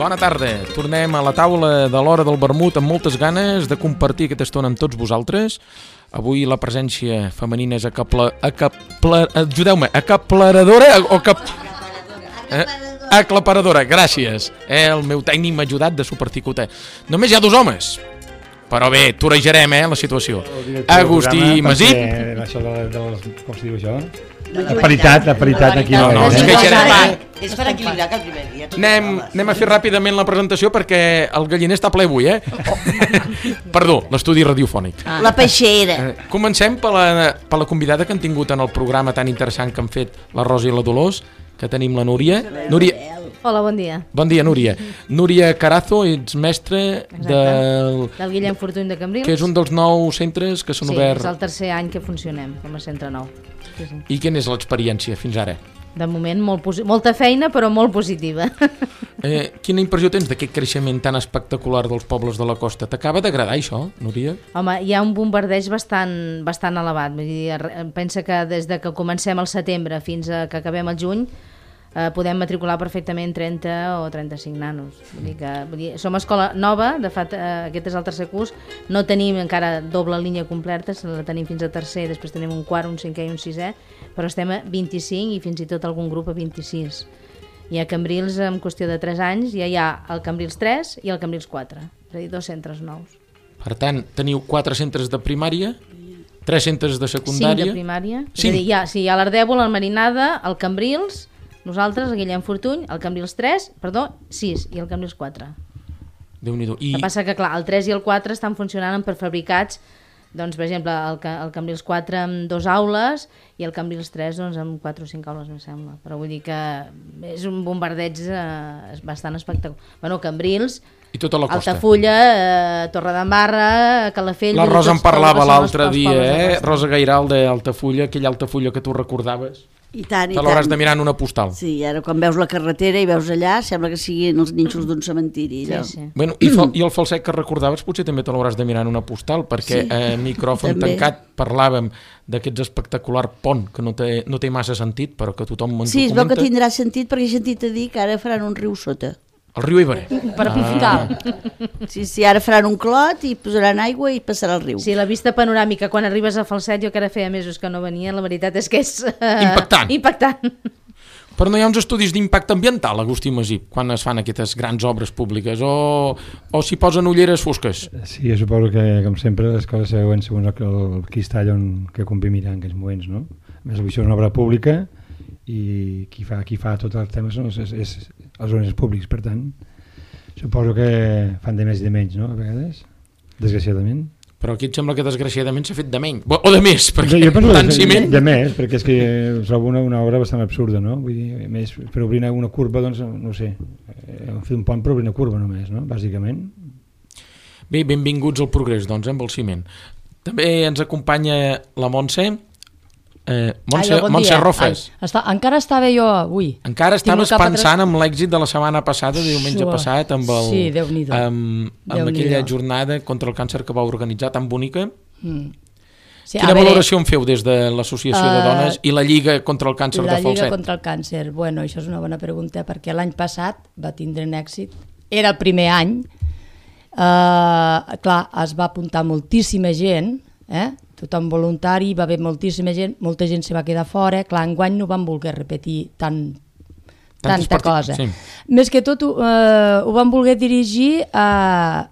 Bona tarda. Tornem a la taula de l'hora del vermut amb moltes ganes de compartir aquesta estona amb tots vosaltres. Avui la presència femenina és aclaparadora o aclaparadora, gràcies. El meu tècnic m'ha ajudat de superticoter. Només hi ha 2 homes, però bé, torejarem la situació. Agustí Masip. Això com es diu això? La paritat aquí no. No, ens queixarem. És per equilibrar que el primer dia... Anem a fer ràpidament la presentació perquè el galliner està ple avui, Perdó, l'estudi radiofònic. La peixera. Comencem per la convidada que han tingut en el programa tan interessant que han fet la Rosa i la Dolors, que tenim la Núria. Hola, bon dia. Bon dia, Núria. Núria Carazo, ets mestre del Guillem Fortuny de Cambrils. Que és un dels 9 centres que s'han obert. Sí, és el tercer any que funcionem com a centre nou. Sí. I quina és l'experiència fins ara? De moment molta feina, però molt positiva. Quina impressió tens d'aquest creixement tan espectacular dels pobles de la costa? T'acaba d'agradar això, Núria? Home, hi ha un bombardeig bastant elevat. Vull dir, pensa que des de que comencem al setembre fins a que acabem el juny podem matricular perfectament 30 o 35 nanos. Vull dir, som escola nova, de fet aquest és el tercer curs, no tenim encara doble línia completa, la tenim fins a tercer, després tenim un quart, un cinquè i un sisè, però estem a 25 i fins i tot algun grup a 26. I a Cambrils, en qüestió de 3 anys, ja hi ha el Cambrils 3 i el Cambrils 4, és a dir, 2 centres nous. Per tant, teniu 4 centres de primària, 3 centres de secundària... 5 de primària. 5. És a dir, hi ha l'Ardèvol, el Marinada, el Cambrils, nosaltres, el Guillem Fortuny, el Cambrils 3, 6 i el Cambrils 4. Déu-n'hi-do. El que passa que, clar, el 3 i el 4 estan funcionant en prefabricats, doncs, per exemple, el Cambrils 4 amb 2 aules i el Cambrils 3 doncs, amb 4 o 5 aules, em sembla. Però vull dir que és un bombardeig bastant espectacular. Bueno, Cambrils, i tota la costa. Altafulla, Torredembarra, Calafell... La Rosa en parlava l'altre dia, Rosa Gairal d'Altafulla, aquella Altafulla que tu recordaves. I tant, i te l'hauràs de mirar en una postal. Sí, ara quan veus la carretera i veus allà, sembla que siguin els nínxols d'un cementiri. Sí. Bueno, i el falset que recordaves potser també te l'hauràs de mirar en una postal, perquè a micròfon tancat parlàvem d'aquests espectacular pont que no té massa sentit, però que tothom en sí, es veu que tindrà sentit perquè he sentit a dir que ara faran un riu sota. El riu Iberé. Per aprofitar. Sí, ara faran un clot i posaran aigua i passarà el riu. Sí, la vista panoràmica, quan arribes a Falset, jo que ara feia mesos que no venia, la veritat és que és... Impactant. Però no hi ha uns estudis d'impacte ambiental, Agustí Masip, quan es fan aquestes grans obres públiques, o s'hi posen ulleres fosques? Sí, jo suposo que, com sempre, les coses següents segons el cristall que convé mirar en aquells moments, no? A més, això és una obra pública i qui fa tots els temes són els organismes públics, per tant suposo que fan de més i de menys, no? A vegades, desgraciadament. Però aquí et sembla que desgraciadament s'ha fet de menys o de més, perquè jo penso tant ciment... De més, perquè és que trobo una obra bastant absurda, no? Vull dir, més, per obrir una curva, doncs, no sé, fer un pont per obrir una curva només, no? Bàsicament. Bé, benvinguts al progrés, doncs, amb el ciment. També ens acompanya la Montse. Montse Rofes. Encara estava jo avui. Encara estaves pensant en l'èxit de la setmana passada, diumenge passat, amb aquella jornada contra el càncer que va organitzar, tan bonica. Sí, quina valoració en feu des de l'Associació de Dones i la Lliga contra el Càncer de Falset? La Lliga contra el Càncer, bueno, això és una bona pregunta, perquè l'any passat va tindre un èxit. Era el primer any. Clar, es va apuntar moltíssima gent, tothom voluntari, va haver moltíssima gent, molta gent se va quedar fora, clar, enguany no van voler repetir tanta cosa. Sí. Més que tot ho van voler dirigir a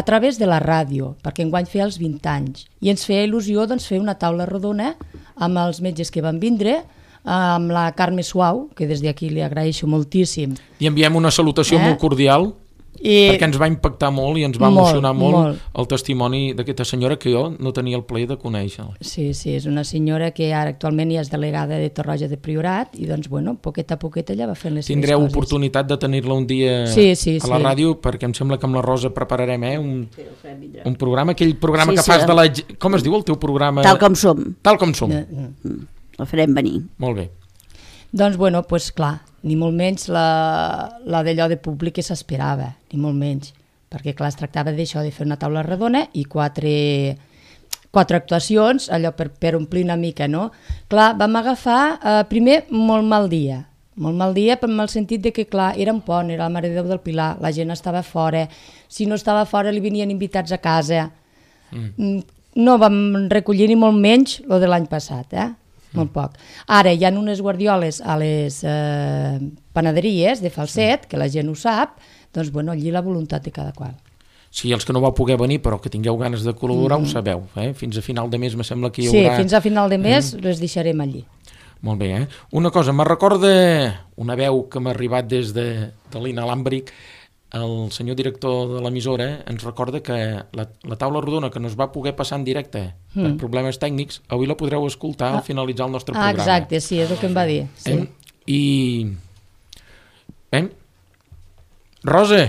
través de la ràdio, perquè enguany feia els 20 anys, i ens feia il·lusió doncs, fer una taula rodona amb els metges que van vindre, amb la Carme Suau, que des d'aquí li agraeixo moltíssim. I enviem una salutació molt cordial, perquè ens va impactar molt i ens va emocionar molt el testimoni d'aquesta senyora que jo no tenia el plaer de conèixer. Sí, és una senyora que ara actualment ja és delegada de Torroja de Priorat i doncs, bueno, poqueta a poqueta ja va fent les seves coses. Tindreu oportunitat de tenir-la un dia a la ràdio, perquè em sembla que amb la Rosa prepararem un programa, aquell programa que fas de la... Com es diu el teu programa? Tal com som. Tal com som. El farem venir. Molt bé. Doncs, bueno, doncs clar, ni molt menys la d'allò de públic que s'esperava, ni molt menys, perquè clar, es tractava d'això, de fer una taula redona i quatre actuacions, allò per omplir una mica, no? Clar, vam agafar primer molt mal dia, Molt mal dia, però en el sentit de que, clar, era un pont, era la Mare de Déu del Pilar, la gent estava fora, si no estava fora li venien invitats a casa. No vam recollir ni molt menys el de l'any passat, molt poc. Ara hi ha unes guardioles a les panaderies de Falset, que la gent ho sap, doncs bueno, allí la voluntat de cada qual. Sí, els que no vau poder venir, però que tingueu ganes de col·laborar, ho sabeu. Fins a final de mes me sembla que hi haurà... Sí, fins a final de mes les deixarem allí. Molt bé, Una cosa, me recorda una veu que m'ha arribat des de l'Inalàmbric. El senyor director de l'emissora ens recorda que la taula rodona que no es va poder passar en directe per problemes tècnics, avui la podreu escoltar al finalitzar el nostre programa. Exacte, sí, és el que em va dir. Sí. Rosa,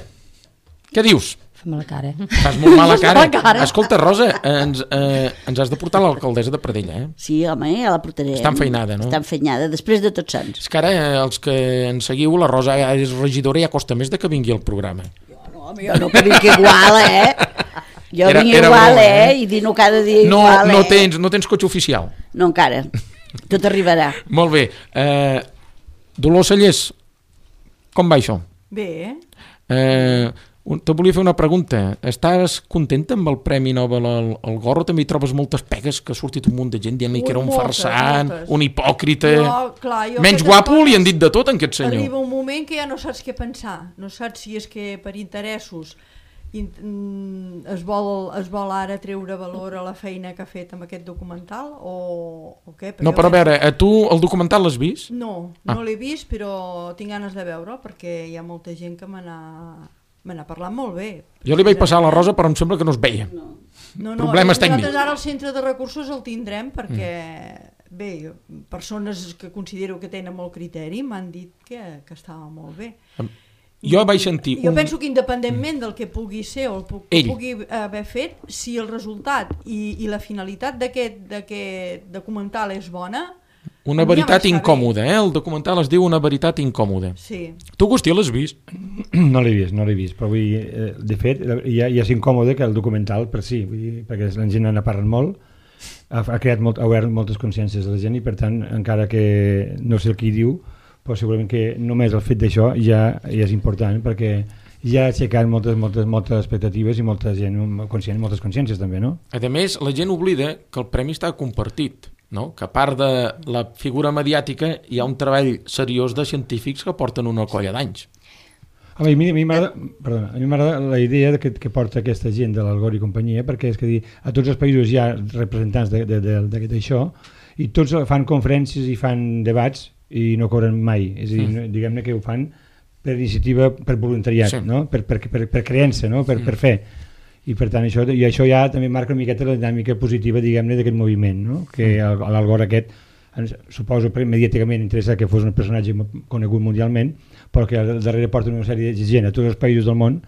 què dius? Fa mala cara. Fas molt mala cara. Escolta, Rosa, ens has de portar l'alcaldessa de Pradell, Sí, home, ja la portarem. Està enfeinada, no? Està enfeinada, després de Tots Sants. És que ara, els que ens seguiu, la Rosa és regidora i ja costa més de que vingui al programa. Jo no que vinc igual, Jo vinc igual, I dino cada dia igual, No tens cotxe oficial? No, encara. Tot arribarà. Molt bé. Dolors Sallés, com va això? Bé. Te volia fer una pregunta. Estàs contenta amb el Premi Nobel al Gorro? També hi trobes moltes pegues, que ha sortit un munt de gent dient-li que era un farsant, un hipòcrita... Menys guapo, li han dit de tot en aquest senyor. Arriba un moment que ja no saps què pensar. No saps si és que per interessos es vol ara treure valor a la feina que ha fet amb aquest documental o què? No, però a veure, tu el documental l'has vist? No l'he vist, però tinc ganes de veure'l perquè hi ha molta gent que me n'ha parlat molt bé. Jo li vaig passar a la Rosa, però em sembla que no es veia. Problemes tècnics. Nosaltres ara al centre de recursos el tindrem perquè, bé, persones que considero que tenen molt criteri m'han dit que estava molt bé. Jo vaig sentir... Jo penso que independentment del que pugui ser o el que pugui haver fet, si el resultat i la finalitat d'aquest documental és bona... Una veritat incòmoda, el documental es diu Una veritat incòmoda. Sí. Tu, Agustí, l'has vist? No l'he vist, però de fet ja és incòmode que el documental per si, perquè la gent n'ha parlat molt, ha obert moltes consciències de la gent i per tant, encara que no sé el que hi diu, però segurament que només el fet d'això ja és important perquè ja ha aixecat moltes expectatives i molta gent conscient, moltes consciències també, no? A més, la gent oblida que el premi està compartit, no? Que a part de la figura mediàtica hi ha un treball seriós de científics que porten una colla d'anys. A mi m'agrada la idea que porta aquesta gent de l'Algor i companyia, perquè és que a tots els països hi ha representants d'això i tots fan conferències i fan debats i no cobren mai, és a dir, diguem-ne que ho fan per iniciativa, per voluntariat, no? per creença, no? per fe, i per tant això ja també marca una miqueta la dinàmica positiva, diguem-ne, d'aquest moviment, no? Que l'Algor aquest, suposo mediàticament interessa que fos un personatge conegut mundialment, però que darrere porta una sèrie de gent a tots els països del món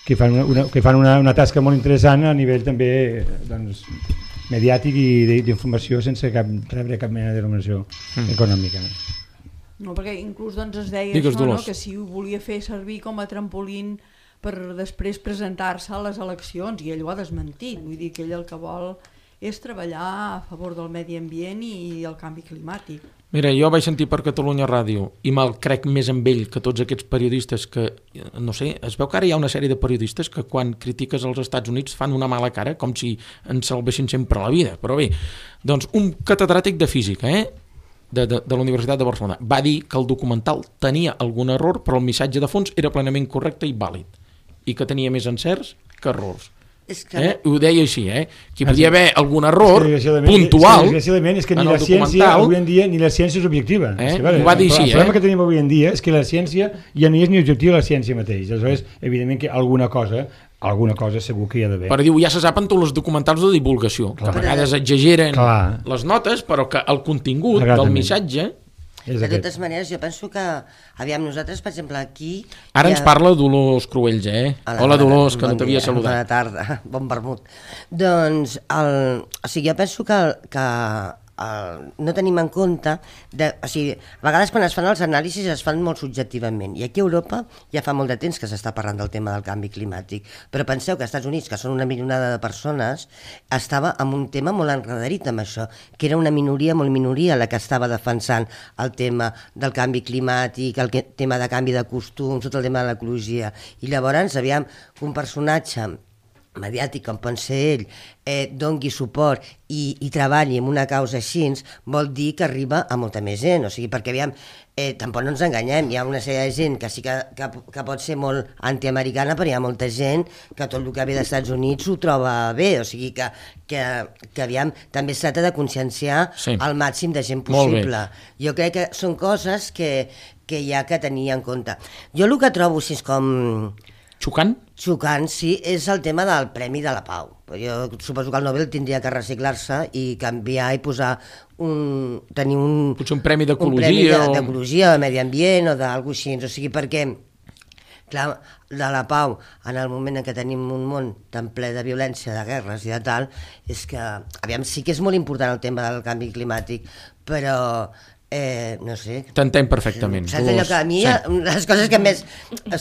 que fan una tasca molt interessant a nivell també, doncs, mediàtic i d'informació sense rebre cap mena de remuneració econòmica. No, perquè inclús es deia això, no? Que si ho volia fer servir com a trampolín per després presentar-se a les eleccions, i ell ho ha desmentit, vull dir que ell el que vol és treballar a favor del medi ambient i el canvi climàtic. Mira, jo vaig sentir per Catalunya Ràdio i me'l crec més amb ell que tots aquests periodistes que, no sé, es veu que ara hi ha una sèrie de periodistes que quan critiques els Estats Units fan una mala cara com si ens salvessin sempre la vida, però bé, doncs un catedràtic de física, de la Universitat de Barcelona, va dir que el documental tenia algun error però el missatge de fons era plenament correcte i vàlid i que tenia més encerts que errors. Ho deia així, que hi podia haver algun error puntual. Desgraciadament és que ni la ciència avui en dia ni la ciència és objectiva. Ho va dir així. El problema que tenim avui en dia és que la ciència ja no és ni objectiva la ciència mateix. Aleshores, evidentment que alguna cosa segur que hi ha d'haver. Però diu, ja se saben tots els documentals de divulgació, que a vegades exageren les notes, però que el contingut del missatge... De totes maneres, jo penso que, aviam, nosaltres, per exemple, aquí... Ara ens parla Dolors Cruells, Hola, Dolors, que no t'havia saludat. Bona tarda, bon vermut. Doncs, jo penso que no tenim en compte, o sigui, a vegades quan es fan els anàlisis es fan molt subjectivament, i aquí a Europa ja fa molt de temps que s'està parlant del tema del canvi climàtic, però penseu que als Estats Units, que són una milionada de persones, estava amb un tema molt enredarit amb això, que era una molt minoria la que estava defensant el tema del canvi climàtic, el tema de canvi de costums, tot el tema de l'ecologia, i llavors aviam un personatge mediàtic com pot ser ell, doni suport i treballi en una causa així, vol dir que arriba a molta més gent, o sigui, perquè aviam, tampoc no ens enganyem, hi ha una sèrie de gent que sí que pot ser molt antiamericana, però hi ha molta gent que tot el que ve dels Estats Units ho troba bé, o sigui que aviam, també es tracta de conscienciar el màxim de gent possible. Jo crec que són coses que hi ha que tenir en compte. Jo el que trobo així com... Xocant, sí, és el tema del Premi de la Pau. Jo suposo que el Nobel tindria que reciclar-se i canviar i posar tenir potser un premi d'ecologia d'ecologia, de medi ambient o d'algú així, o sigui, perquè clar, de la pau, en el moment en què tenim un món tan ple de violència, de guerres i de tal, és que, aviam, sí que és molt important el tema del canvi climàtic, però no sé. T'entenc perfectament. Saps allò que a mi, les coses que més...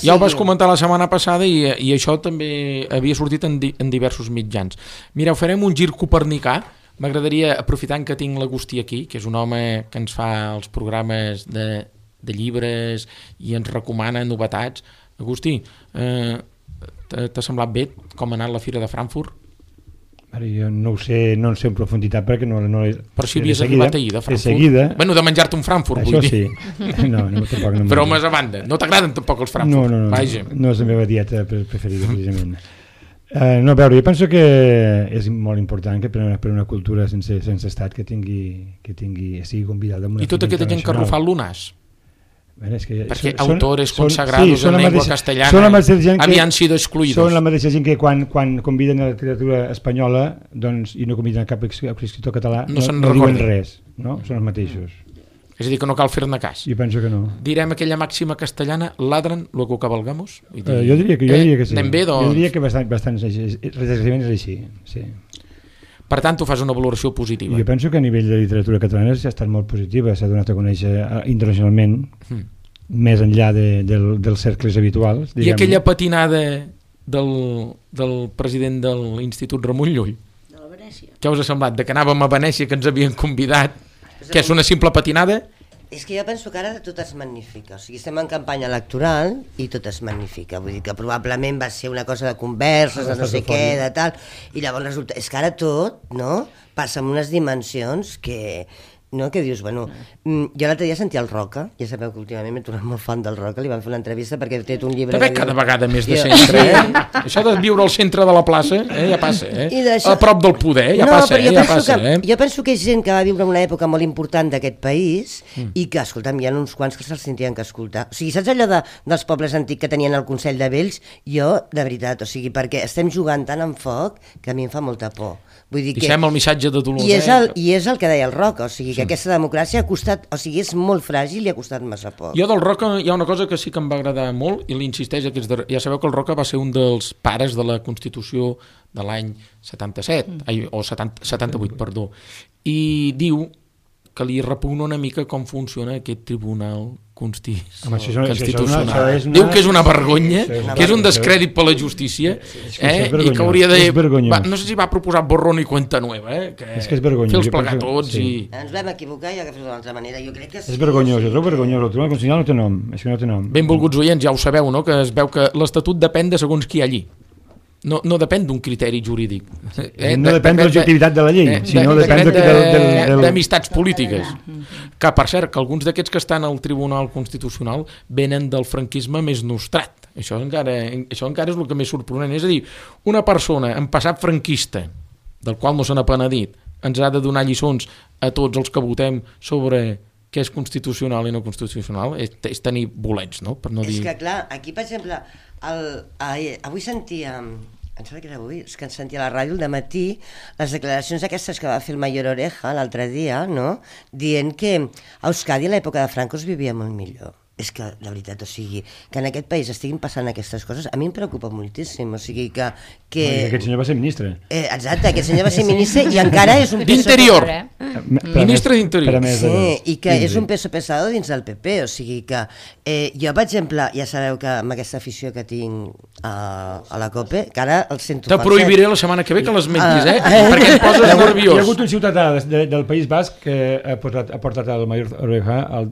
Ja ho vas comentar la setmana passada i això també havia sortit en diversos mitjans. Mireu, farem un gir copernicà. M'agradaria, aprofitant que tinc l'Agustí aquí, que és un home que ens fa els programes de llibres i ens recomana novetats. Agustí, t'ha semblat bé com ha anat la Fira de Frankfurt? Jo no ho sé, no en sé en profunditat perquè no... Però si havies arribat ahir de Frankfurt. De seguida... Bueno, de menjar-te un Frankfurt, vull dir. Això sí. No, tampoc no. Però més a banda, no t'agraden tampoc els Frankfurt? No és la meva dieta preferida, precisament. No, a veure, jo penso que és molt important que per una cultura sense estat que sigui convidada amb una I tota aquesta gent que ha rufat l'UNAS? Perquè autores consagrados en llengua castellana havien sido excluïdos. Són la mateixa gent que quan conviden a la literatura espanyola i no conviden a cap escriptor català no diuen res, no? Són els mateixos. És a dir, que no cal fer-ne cas. Jo penso que no. Direm aquella màxima castellana, ladran luego cabalgamos? Jo diria que sí. Anem bé, doncs? Jo diria que bastant és així, sí. Per tant, tu fas una valoració positiva. Jo penso que a nivell de literatura catalana s'ha estat molt positiva, s'ha donat a conèixer internacionalment, més enllà dels cercles habituals. I aquella patinada del president de l'Institut Ramon Llull? De la Venècia. Què us ha semblat? De que anàvem a Venècia, que ens havien convidat, que és una simple patinada? És que jo penso que ara tot es magnifica, o sigui, estem en campanya electoral i tot es magnifica, vull dir que probablement va ser una cosa de converses, de no sé què, de tal, i llavors resulta, és que ara tot, no?, passa en unes dimensions que dius, bueno, jo l'altre dia sentia el Roca, ja sabeu que últimament m'he tornat molt fan del Roca, li van fer una entrevista perquè he tret un llibre... També cada vegada més de centre, Això de viure al centre de la plaça, ja passa, a prop del poder, ja passa, Jo penso que és gent que va viure una època molt important d'aquest país i que, escolta'm, hi ha uns quants que se'ls tindrien que escoltar. O sigui, saps allò dels pobles antics que tenien el Consell de Vells? Jo, de veritat, o sigui, perquè estem jugant tant en foc que a mi em fa molta por. Deixem el missatge de dolor. I és el que deia el Roca, o sigui, que aquesta democràcia ha costat, o sigui, és molt fràgil i ha costat massa poc. Jo del Roca hi ha una cosa que sí que em va agradar molt i l'insisteix ja sabeu que el Roca va ser un dels pares de la Constitució de l'any 77, o 78, perdó, i diu que li repugna una mica com funciona aquest tribunal constitucional. Diu que és una vergonya, que és un descrèdit per la justícia, i que hauria de... No sé si va proposar borrón i cuenta nueva, és que és vergonyós. Fer els plegar tots i... Ens vam equivocar i agafem d'una altra manera, jo crec que... És vergonyós, el tribunal constitucional no té nom, és que no té nom. Benvolguts oients, ja ho sabeu, no?, que es veu que l'Estatut depèn de segons qui hi ha allí. No depèn d'un criteri jurídic. No depèn de l'objectivitat de la llei, sinó depèn d'amistats polítiques. Que, per cert, que alguns d'aquests que estan al Tribunal Constitucional venen del franquisme més nostrat. Això encara és el que més sorprenent. És a dir, una persona en passat franquista, del qual no se n'ha penedit, ens ha de donar lliçons a tots els que votem sobre què és constitucional i no constitucional, és tenir bolets, no? Per no dir... És que, clar, aquí, per exemple, avui sentia... Em sembla que era avui, és que ens sentia a la ràdio al dematí les declaracions aquestes que va fer el Mayor Oreja l'altre dia, no?, dient que a Euskadi a l'època de Franco es vivia molt millor. és que, la veritat, o sigui, que en aquest país estiguin passant aquestes coses, a mi em preocupa moltíssim, o sigui que... Aquest senyor va ser ministre. Exacte, aquest senyor va ser ministre i encara és un peso... D'Interior! Ministre d'Interior. Sí, i que és un peso pesado dins del PP, o sigui que jo, per exemple, ja sabeu que amb aquesta afició que tinc a la COPE, que ara el sento... Te prohibiré la setmana que ve que les mentis, perquè em poses nerviós. Hi ha hagut un ciutadà del País Basc que ha portat el Mayor Oreja al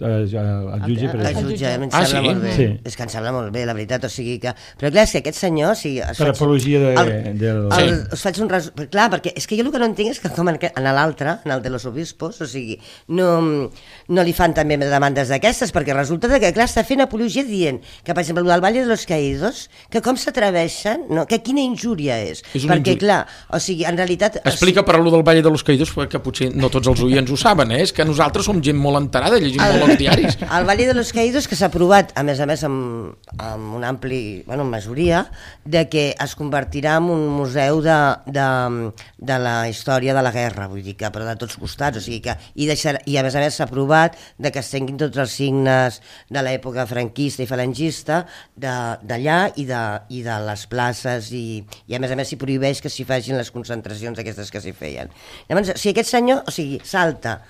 jutge per això. Em sembla molt bé. Sí. És que em sembla molt bé, la veritat, o sigui que... Però clar, és que aquest senyor... O sigui, per apologia del... Us faig un resum... Clar, perquè és que jo el que no entenc és que com en l'altre, en el de los obispos, o sigui, no li fan també demandes d'aquestes, perquè resulta que, clar, està fent apologia dient que, per exemple, el del Valle de los Caídos, que com s'atreveixen, no? Que quina injúria és. Perquè, clar, o sigui, en realitat... Explica per allò del Valle de los Caídos, perquè potser no tots els oients ho saben, és que nosaltres som gent molt enterada, llegim molt els diaris. El Valle de los Caídos, que s'ha aprovat, a més amb un ampli, bueno, majoria, de que es convertirà en un museu de la història de la guerra, vull dir que, però de tots costats, o sigui que, i a més s'ha aprovat de que es tinguin tots els signes de l'època franquista i falangista d'allà i de les places, i a més s'hi prohibeix que s'hi facin les concentracions aquestes que s'hi feien. Llavors, si aquest senyor, o sigui, salta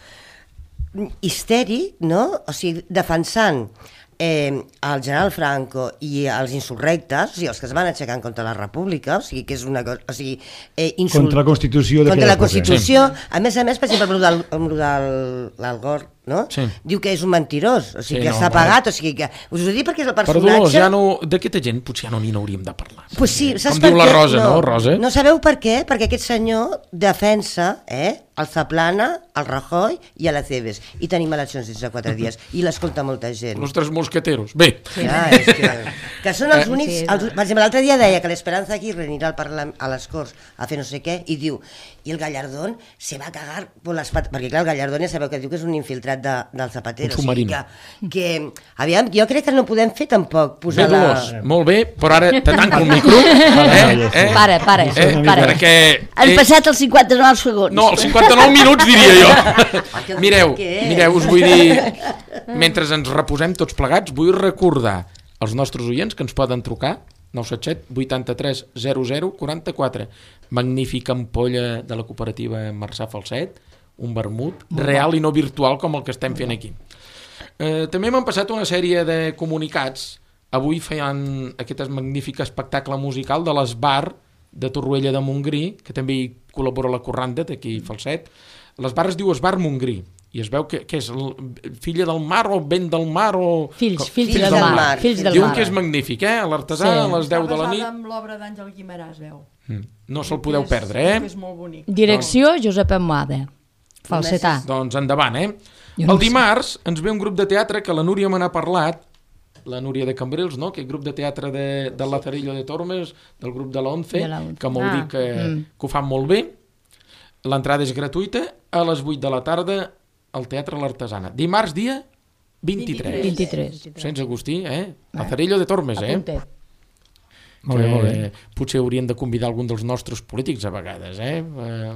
histèric, no? O sigui, defensant el general Franco i els insurrectes, o sigui, els que es van aixecar contra la República, o sigui, que és una cosa... O sigui, contra la Constitució. Contra la Constitució. Sí. A més, per exemple, amb el d'Algor, no? Sí. Diu que és un mentirós, o sigui, que està pagat, o sigui que... Us ho dic perquè és el personatge... Perdó, ja no... D'aquesta gent potser ja no n'hi hauríem de parlar. Pues sí, saps com diu la Rosa, no, Rosa? No sabeu per què? Perquè aquest senyor defensa el Zaplana, el Rajoy i a la Cebes. I tenim eleccions dins de 4 dies. I l'escolta molta gent. Los tres mosqueteros. Bé. Ja, és que són els únics... Per exemple, l'altre dia deia que l'Esperanza Aguirre anirà a les Corts a fer no sé què, i diu, i el Gallardón se va a cagar por las patas, perquè clar, el Gallardón ja sabeu que diu que és un infiltrat del Zapatero. Un submarí. O sigui que, aviam, jo crec que no podem fer tampoc posar bé, Dolors, molt bé, però ara te tanco el micro. Para. Perquè... Han passat els 59 segons. No, els 59 minuts diria jo. Mireu, us vull dir, mentre ens reposem tots plegats, vull recordar als nostres oients que ens poden trucar 977 83 00 44. Magnífica ampolla de la cooperativa Marçà Falset, un vermut real i no virtual com el que estem fent aquí. També m'han passat una sèrie de comunicats. Avui feien aquest magnífic espectacle musical de l'Esbar de Torroella de Montgrí, que també hi col·labora la Corranda d'aquí Falset. L'Esbar es diu Esbar Montgrí i es veu que és filla del mar o vent del mar o... Fills del mar. Diuen que és magnífic, l'artesà a les 10 de la nit. Està basada amb l'obra d'Àngel Guimerà, es veu. No se'l podeu perdre, És molt bonic. Direcció Josep Amada, falsetà. Doncs endavant, El dimarts ens ve un grup de teatre que la Núria me n'ha parlat, la Núria de Cambrils, no? Aquest grup de teatre del Lazarillo de Tormes, del grup de l'Once, que m'ho dic que ho fan molt bé. L'entrada és gratuïta a les 8 de la tarda al Teatre L'Artesana. Dimarts, dia 23. Sant Agustí, Lazarillo de Tormes, Molt bé. Potser haurien de convidar algun dels nostres polítics a vegades,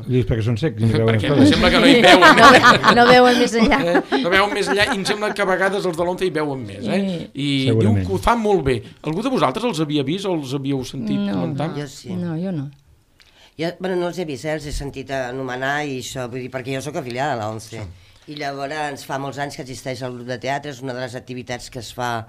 Dius perquè són secs. Perquè em sembla que no hi veuen. No veuen més enllà. No veuen més enllà i em sembla que a vegades els de l'Once hi veuen més. I diu que ho fan molt bé. Algú de vosaltres els havia vist o els havíeu sentit comentar? Jo sí. No, jo no. Bueno, no els he vist, els he sentit anomenar i això, vull dir, perquè jo sóc afiliada a l'Once. I llavors fa molts anys que existeix el grup de teatre, és una de les activitats que es fa...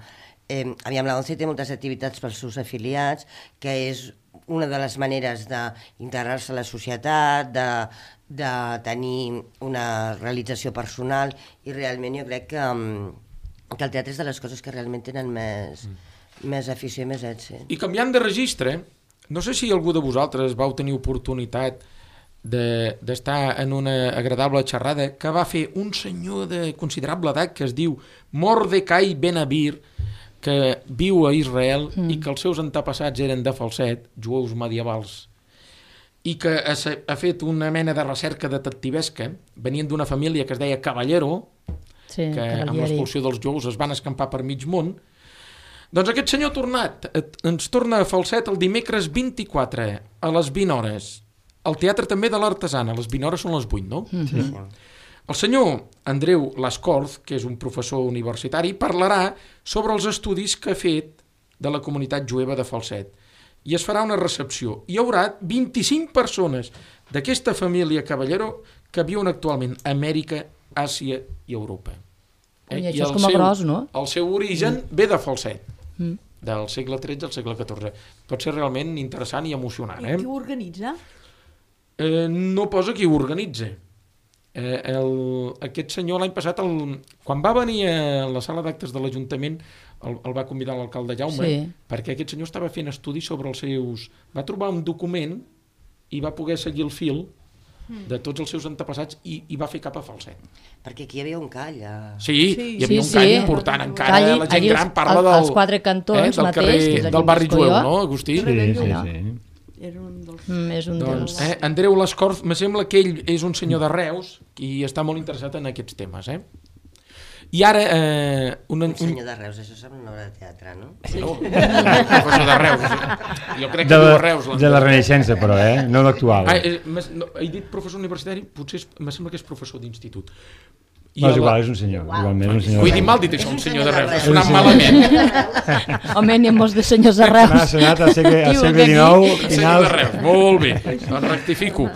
Aviam, l'Once té moltes activitats pels seus afiliats, que és una de les maneres d'integrar-se a la societat, de tenir una realització personal, i realment jo crec que el teatre és de les coses que realment tenen més afició i més èxit. I canviant de registre, no sé si algú de vosaltres vau tenir oportunitat d'estar en una agradable xerrada que va fer un senyor de considerable edat que es diu Mordecai Ben-Avir, que viu a Israel i que els seus antepassats eren de Falset, jueus medievals, i que ha fet una mena de recerca detectivesca, venien d'una família que es deia Caballero, que amb l'expulsió dels jueus es van escampar per mig món. Doncs aquest senyor ens torna a Falset el dimecres 24 a les 20 hores. El teatre també de l'Artesana, les 20 hores són les 8, no? El senyor Andreu Lascorz, que és un professor universitari, parlarà sobre els estudis que ha fet de la comunitat jueva de Falset. I es farà una recepció. Hi haurà 25 persones d'aquesta família Caballero que viuen actualment a Amèrica, Àsia i Europa. I això és com a gros, no? El seu origen ve de Falset, del segle XIII al segle XIV. Pot ser realment interessant i emocionant. I qui ho organitza? No posa qui ho organitza. Aquest senyor l'any passat, quan va venir a la sala d'actes de l'Ajuntament, el va convidar l'alcalde Jaume, perquè aquest senyor estava fent estudis sobre els seus... Va trobar un document i va poder seguir el fil de tots els seus antepassats i va fer cap a Falset. Perquè aquí hi havia un call. Sí, hi havia un call important encara. La gent gran parla dels quatre cantons mateix. Del barri jueu, no, Agustí? Sí. Era un dels... És un dels... Andreu Lascorz, me sembla que ell és un senyor de Reus i està molt interessat en aquests temes, I ara... Un senyor de Reus, això sembla una obra de teatre, no? No, professor de Reus. Jo crec que viu a Reus. De la Renaixença, però, no l'actual. He dit professor universitari, potser me sembla que és professor d'institut. No, és igual, és un senyor. Igualment, un senyor. Vull dir mal dit això, un senyor de Reus. Ha sonat malament. Home, n'hi ha molts de senyors de Reus. M'ha sonat al segle XIX. Senyor de Reus, molt bé. Doncs rectifico.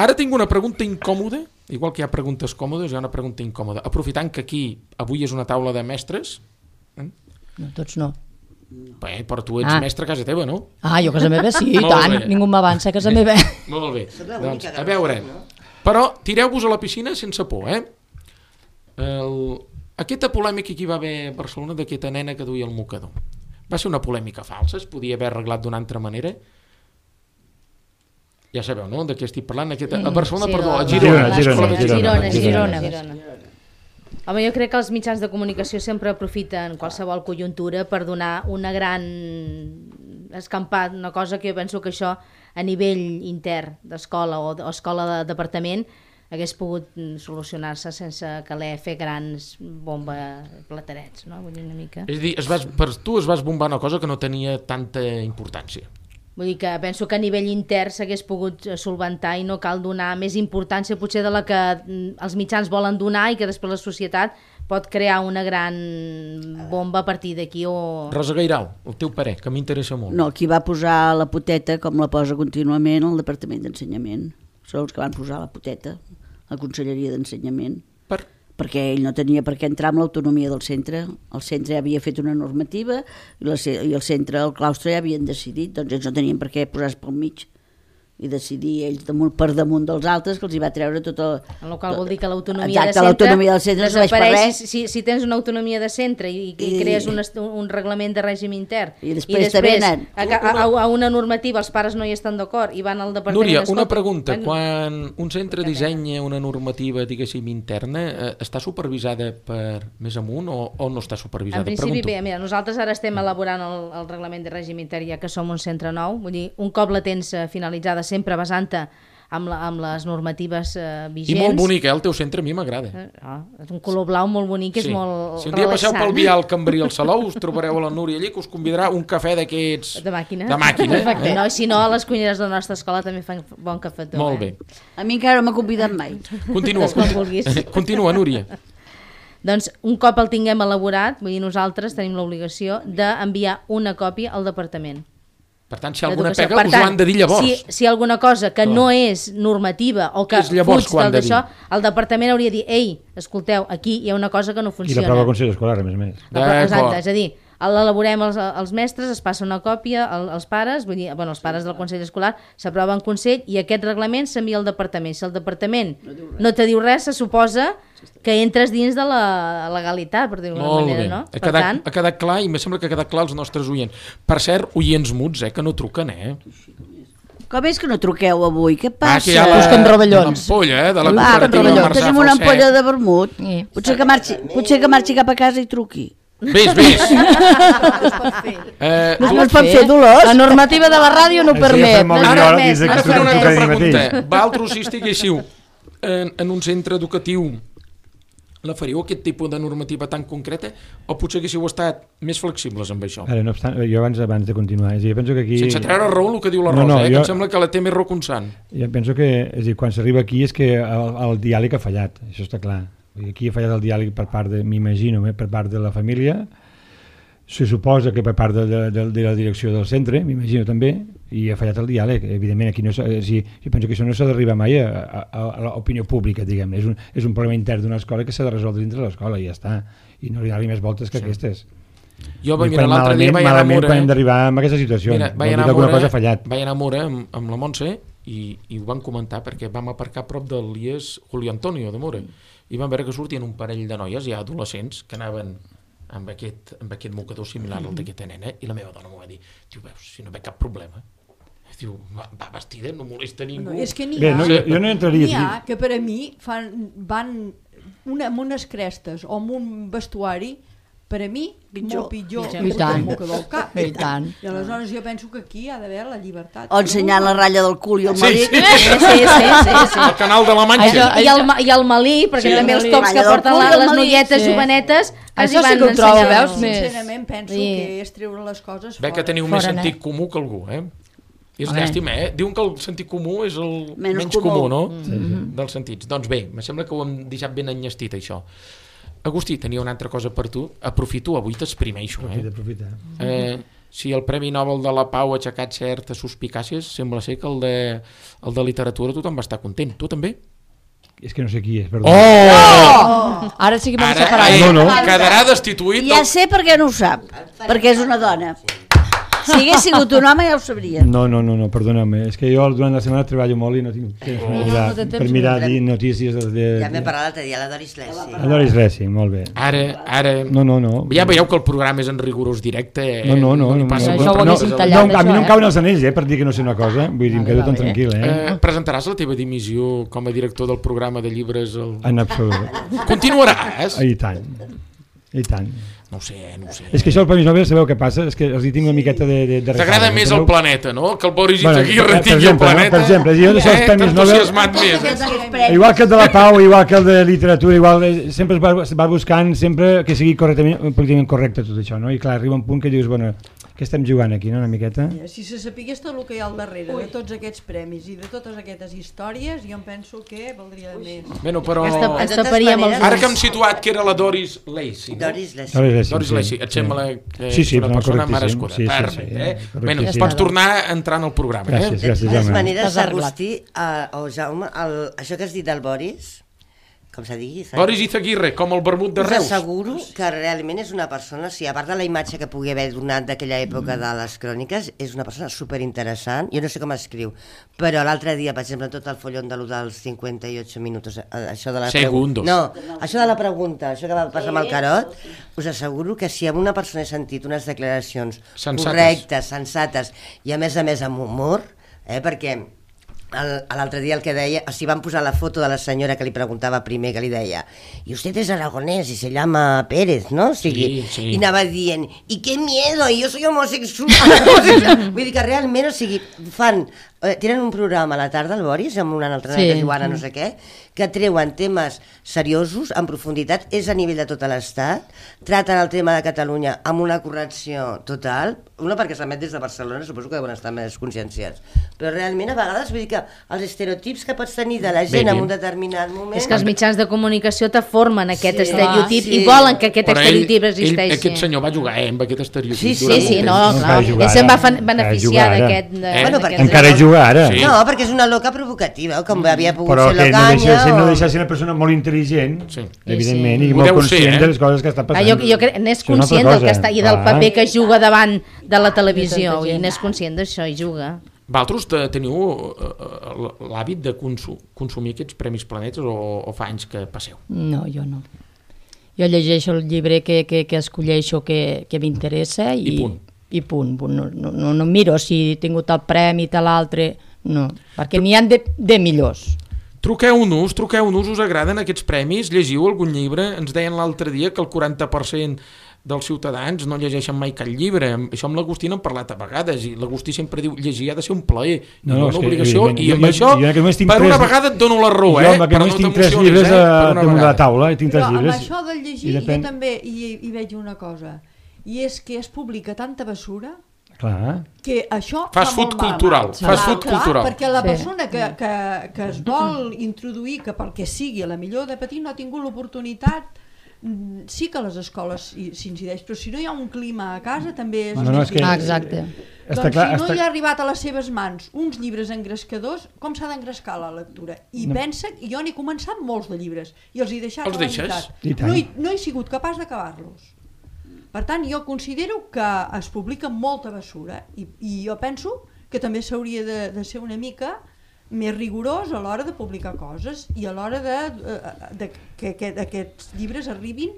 Ara tinc una pregunta incòmoda, igual que hi ha preguntes còmodes, hi ha una pregunta incòmoda. Aprofitant que aquí avui és una taula de mestres... No, tots no. Bé, però tu ets mestre a casa teva, no? Jo a casa meva sí, i tant. Ningú m'avança a casa meva. Molt bé. Doncs, a veure, però tireu-vos a la piscina sense por, Aquesta polèmica que hi va haver a Barcelona d'aquesta nena que duia el mocador va ser una polèmica falsa, es podia haver arreglat d'una altra manera. Ja sabeu, no?, de què estic parlant. A Barcelona, perdó, a Girona. Home, jo crec que els mitjans de comunicació sempre aprofiten qualsevol conjuntura per donar una gran escampat, una cosa que jo penso que això a nivell intern d'escola o escola de departament hagués pogut solucionar-se sense caler fer grans platerets, no? Vull dir, una mica. És a dir, per tu es vas bombar una cosa que no tenia tanta importància. Vull dir que penso que a nivell intern s'hagués pogut solventar i no cal donar més importància potser de la que els mitjans volen donar i que després la societat pot crear una gran bomba a partir d'aquí o... Rosa Gairau, el teu parer, que m'interessa molt. No, qui va posar la poteta, com la posa contínuament, el Departament d'Ensenyament. Són els que van posar la poteta, la Conselleria d'Ensenyament. Perquè ell no tenia per què entrar amb l'autonomia del centre. El centre ja havia fet una normativa i el centre, el claustre, ja havien decidit, doncs ells no tenien per què posar-se pel mig i decidir ells per damunt dels altres, que els hi va treure tot el... En el qual vol dir que l'autonomia de centre desapareix. Si tens una autonomia de centre i crees un reglament de règim intern i després a una normativa els pares no hi estan d'acord i van al departament... Núria, una pregunta. Quan un centre dissenya una normativa, diguéssim, interna, està supervisada per més amunt o no està supervisada? En principi, bé, mira, nosaltres ara estem elaborant el reglament de règim intern ja que som un centre nou, vull dir, un cop la tens finalitzada sempre basant-te amb les normatives vigents. I molt bonic, el teu centre a mi m'agrada. És un color blau molt bonic, és molt relaxant. Si un dia passeu pel vial Cambrí al Salou, us trobareu a la Núria allí, que us convidarà un cafè d'aquests... De màquina. No, si no, a les cuineres de la nostra escola també fan bon cafetó. Molt bé. A mi encara no m'ha convidat mai. Continua, Núria. Doncs un cop el tinguem elaborat, vull dir, nosaltres tenim l'obligació d'enviar una còpia al departament. Per tant, si alguna pega, us ho han de dir llavors. Si alguna cosa que no és normativa o que fuig d'això, el departament hauria de dir, ei, escolteu, aquí hi ha una cosa que no funciona. I la prova al Consell Escolar, a més. Exacte, és a dir, l'elaborem els mestres, es passa una còpia als pares, vull dir, els pares del Consell Escolar s'aprova en Consell i aquest reglament s'envia al departament. Si el departament no te diu res, se suposa que entres dins de la legalitat, per dir-ho d'alguna manera, no? Ha quedat clar i em sembla que ha quedat clar als nostres oients. Per cert, oients muts, que no truquen, Com és que no truqueu avui? Què passa? Que hi ha l'ampolla, de la cooperativa Marçà. Tenim una ampolla de vermut. Potser que marxi cap a casa i truqui. Ves. No es pot fer, Dolors? La normativa de la ràdio no permet. Ara faré una altra pregunta. Vosaltres si estiguéssiu en un centre educatiu la faríeu aquest tipus de normativa tan concreta o potser haguéssiu estat més flexibles amb això? Ara, no obstant, jo abans de continuar, jo penso que aquí... Sense treure raó el que diu la Rosa, que em sembla que la té més raó que un sant. Jo penso que, és a dir, quan s'arriba aquí és que el diàleg ha fallat, això està clar. Aquí ha fallat el diàleg per part m'imagino, per part de la família, se suposa que per part de la direcció del centre, m'imagino també, i ha fallat el diàleg. Evidentment, aquí no jo penso que això no s'ha d'arribar mai a l'opinió pública, diguem. És un problema intern d'una escola que s'ha de resoldre dintre l'escola i ja està. I no li ha més voltes que aquestes. Jo mira, l'altre dia vaig anar a Mura... Malament d'arribar a aquesta situació. Vaig anar a Mura amb la Montse i ho van comentar perquè vam aparcar a prop del IES Julio Antonio de Mura i vam veure que sortien un parell de noies ja adolescents que anaven amb aquest mocador similar al d'aquesta nena i la meva dona m'ho va dir, diu, veus, si no ve cap problema, diu, va vestida, no molesta ningú. No, és que jo no entraria. N'hi ha que per a mi van amb unes crestes o amb un vestuari per a mi, molt pitjor que el mocador al cap. I tant. I aleshores jo penso que aquí ha d'haver la llibertat. O ensenyant la ratlla del cul i el malic. Sí. El canal de la Manxa. I el malí, perquè també els cops que porten les noietes jovenetes això sí que ho trobo, veus? Sincerament penso que és treure les coses fora. Ve que teniu més sentit comú que algú, És llàstima, Diuen que el sentit comú és el menys comú, no? Dels sentits. Doncs bé, me sembla que ho hem deixat ben enllestit, això. Agustí, tenia una altra cosa per tu. Aprofito, avui t'exprimeixo. Aprofita. Si el Premi Nobel de la Pau ha aixecat certes suspicàcies, sembla ser que el de literatura tothom va estar content. Tu també? És que no sé qui és, perdó. Ara sí que m'hem separat. Quedarà destituït. Ja sé per què no ho sap, perquè és una dona. Si hagués sigut un home ja ho sabria. No, perdona'm, és que jo durant la setmana treballo molt i no tinc temps per mirar notícies de... Ja m'he parlat l'altre dia, la Doris Lessi. La Doris Lessi, molt bé. Ara... No. Ja veieu que el programa és en rigorós directe. No. Això ho haguéssim tallat. A mi no em cauen els anells, per dir que no sé una cosa. Vull dir, em quedo tan tranquil, Presentaràs la teva dimissió com a director del programa de llibres? En absolut. Continuaràs? I tant. No ho sé. És que això el Premi Nobel, sabeu què passa? És que els hi tinc una miqueta de t'agrada més el planeta, no? Que el Boris Izaguirre tingui el planeta. Per exemple, jo d'això els Premis Nobel... Igual que el de la Pau, igual que el de literatura, sempre es va buscant sempre que sigui políticament correcte tot això, no? I clar, arriba un punt que dius, bueno, què estem jugant aquí, no? Una miqueta? Si se sapigués tot el que hi ha al darrere de tots aquests premis i de totes aquestes històries, jo em penso que valdria de més. Bueno, però... Ens taparíem els ulls. Ara que hem situat que era la Doris Lessi, no? Doris Lessi, et sembla que és una persona merescuda. Perfecte, Bueno, pots tornar a entrar en el programa. Gràcies, de totes maneres, Agustí o Jaume, això que has dit del Boris, com se digui... Boris Izaguirre, com el vermut de Reus. Us asseguro que realment és una persona, a part de la imatge que pugui haver donat d'aquella època de les cròniques, és una persona superinteressant. Jo no sé com escriu, però l'altre dia, per exemple, tot el follon dels 58 minuts, això de la Segundos. Això de la pregunta, això que va passar amb el Carot, us asseguro que si amb una persona he sentit unes declaracions correctes, sensates i a més amb humor, perquè... L'altre dia el que deia, si van posar la foto de la senyora que li preguntava primer, que li deia i usted es aragonès i se llama Pérez, no? O sigui, sí. I anava dient i qué miedo, i jo soy homosexual. Vull dir que realment, o sigui, tenen un programa a la tarda al Boris amb una altra que Joana no sé què, que treuen temes seriosos, en profunditat, és a nivell de tot l'estat, traten el tema de Catalunya amb una correcció total, una perquè s'emet des de Barcelona, suposo que deuen estar més conscienciats, però realment a vegades vull dir que els estereotips que pots tenir de la gent en un determinat moment... És que els mitjans de comunicació te formen aquest estereotip i volen que aquest estereotip existeixi. Aquest senyor va jugar amb aquest estereotip. Sí, no, clar. Ell se'n va beneficiar d'aquest... Encara juga ara. No, perquè és una loca provocativa, com havia pogut ser l'Ocanya... Però no deixa de ser una persona molt intel·ligent, evidentment, i molt conscient de les coses que està passant. Jo crec que n'és conscient del que està i del paper que juga davant de la televisió, i n'és conscient d'això i juga. Vosaltres teniu l'hàbit de consumir aquests Premis Planetes o fa anys que passeu? No, jo no. Jo llegeixo el llibre que escolleixo que m'interessa i punt. No miro si he tingut el premi i l'altre, no, perquè n'hi ha de millors. Truqueu-nos, us agraden aquests premis? Llegiu algun llibre? Ens deien l'altre dia que el 40% dels ciutadans no llegeixen mai cap llibre. Això amb l'Agustí n'hem parlat a vegades, i l'Agustí sempre diu llegir ha de ser un plaer, no una obligació, i amb això per una vegada et dono la raó, però no tinc 3 llibres damunt de la taula, tinc 3 llibres. Però amb això del llegir jo també hi veig una cosa, i és que es publica tanta bessura. Clar. Que això fast food cultural, perquè la persona que es vol introduir, que pel que sigui, a la millor de petit no ha tingut l'oportunitat, sí que a les escoles s'incideix, però si no hi ha un clima a casa també és difícil. Exacte. Doncs si no hi ha arribat a les seves mans uns llibres engrescadors, com s'ha d'engrescar la lectura? I pensa, jo n'he començat molts de llibres i els he deixat a la meitat. No he sigut capaç d'acabar-los. Per tant, jo considero que es publica molta bessura i jo penso que també s'hauria de ser una mica més rigorós a l'hora de publicar coses i a l'hora que aquests llibres arribin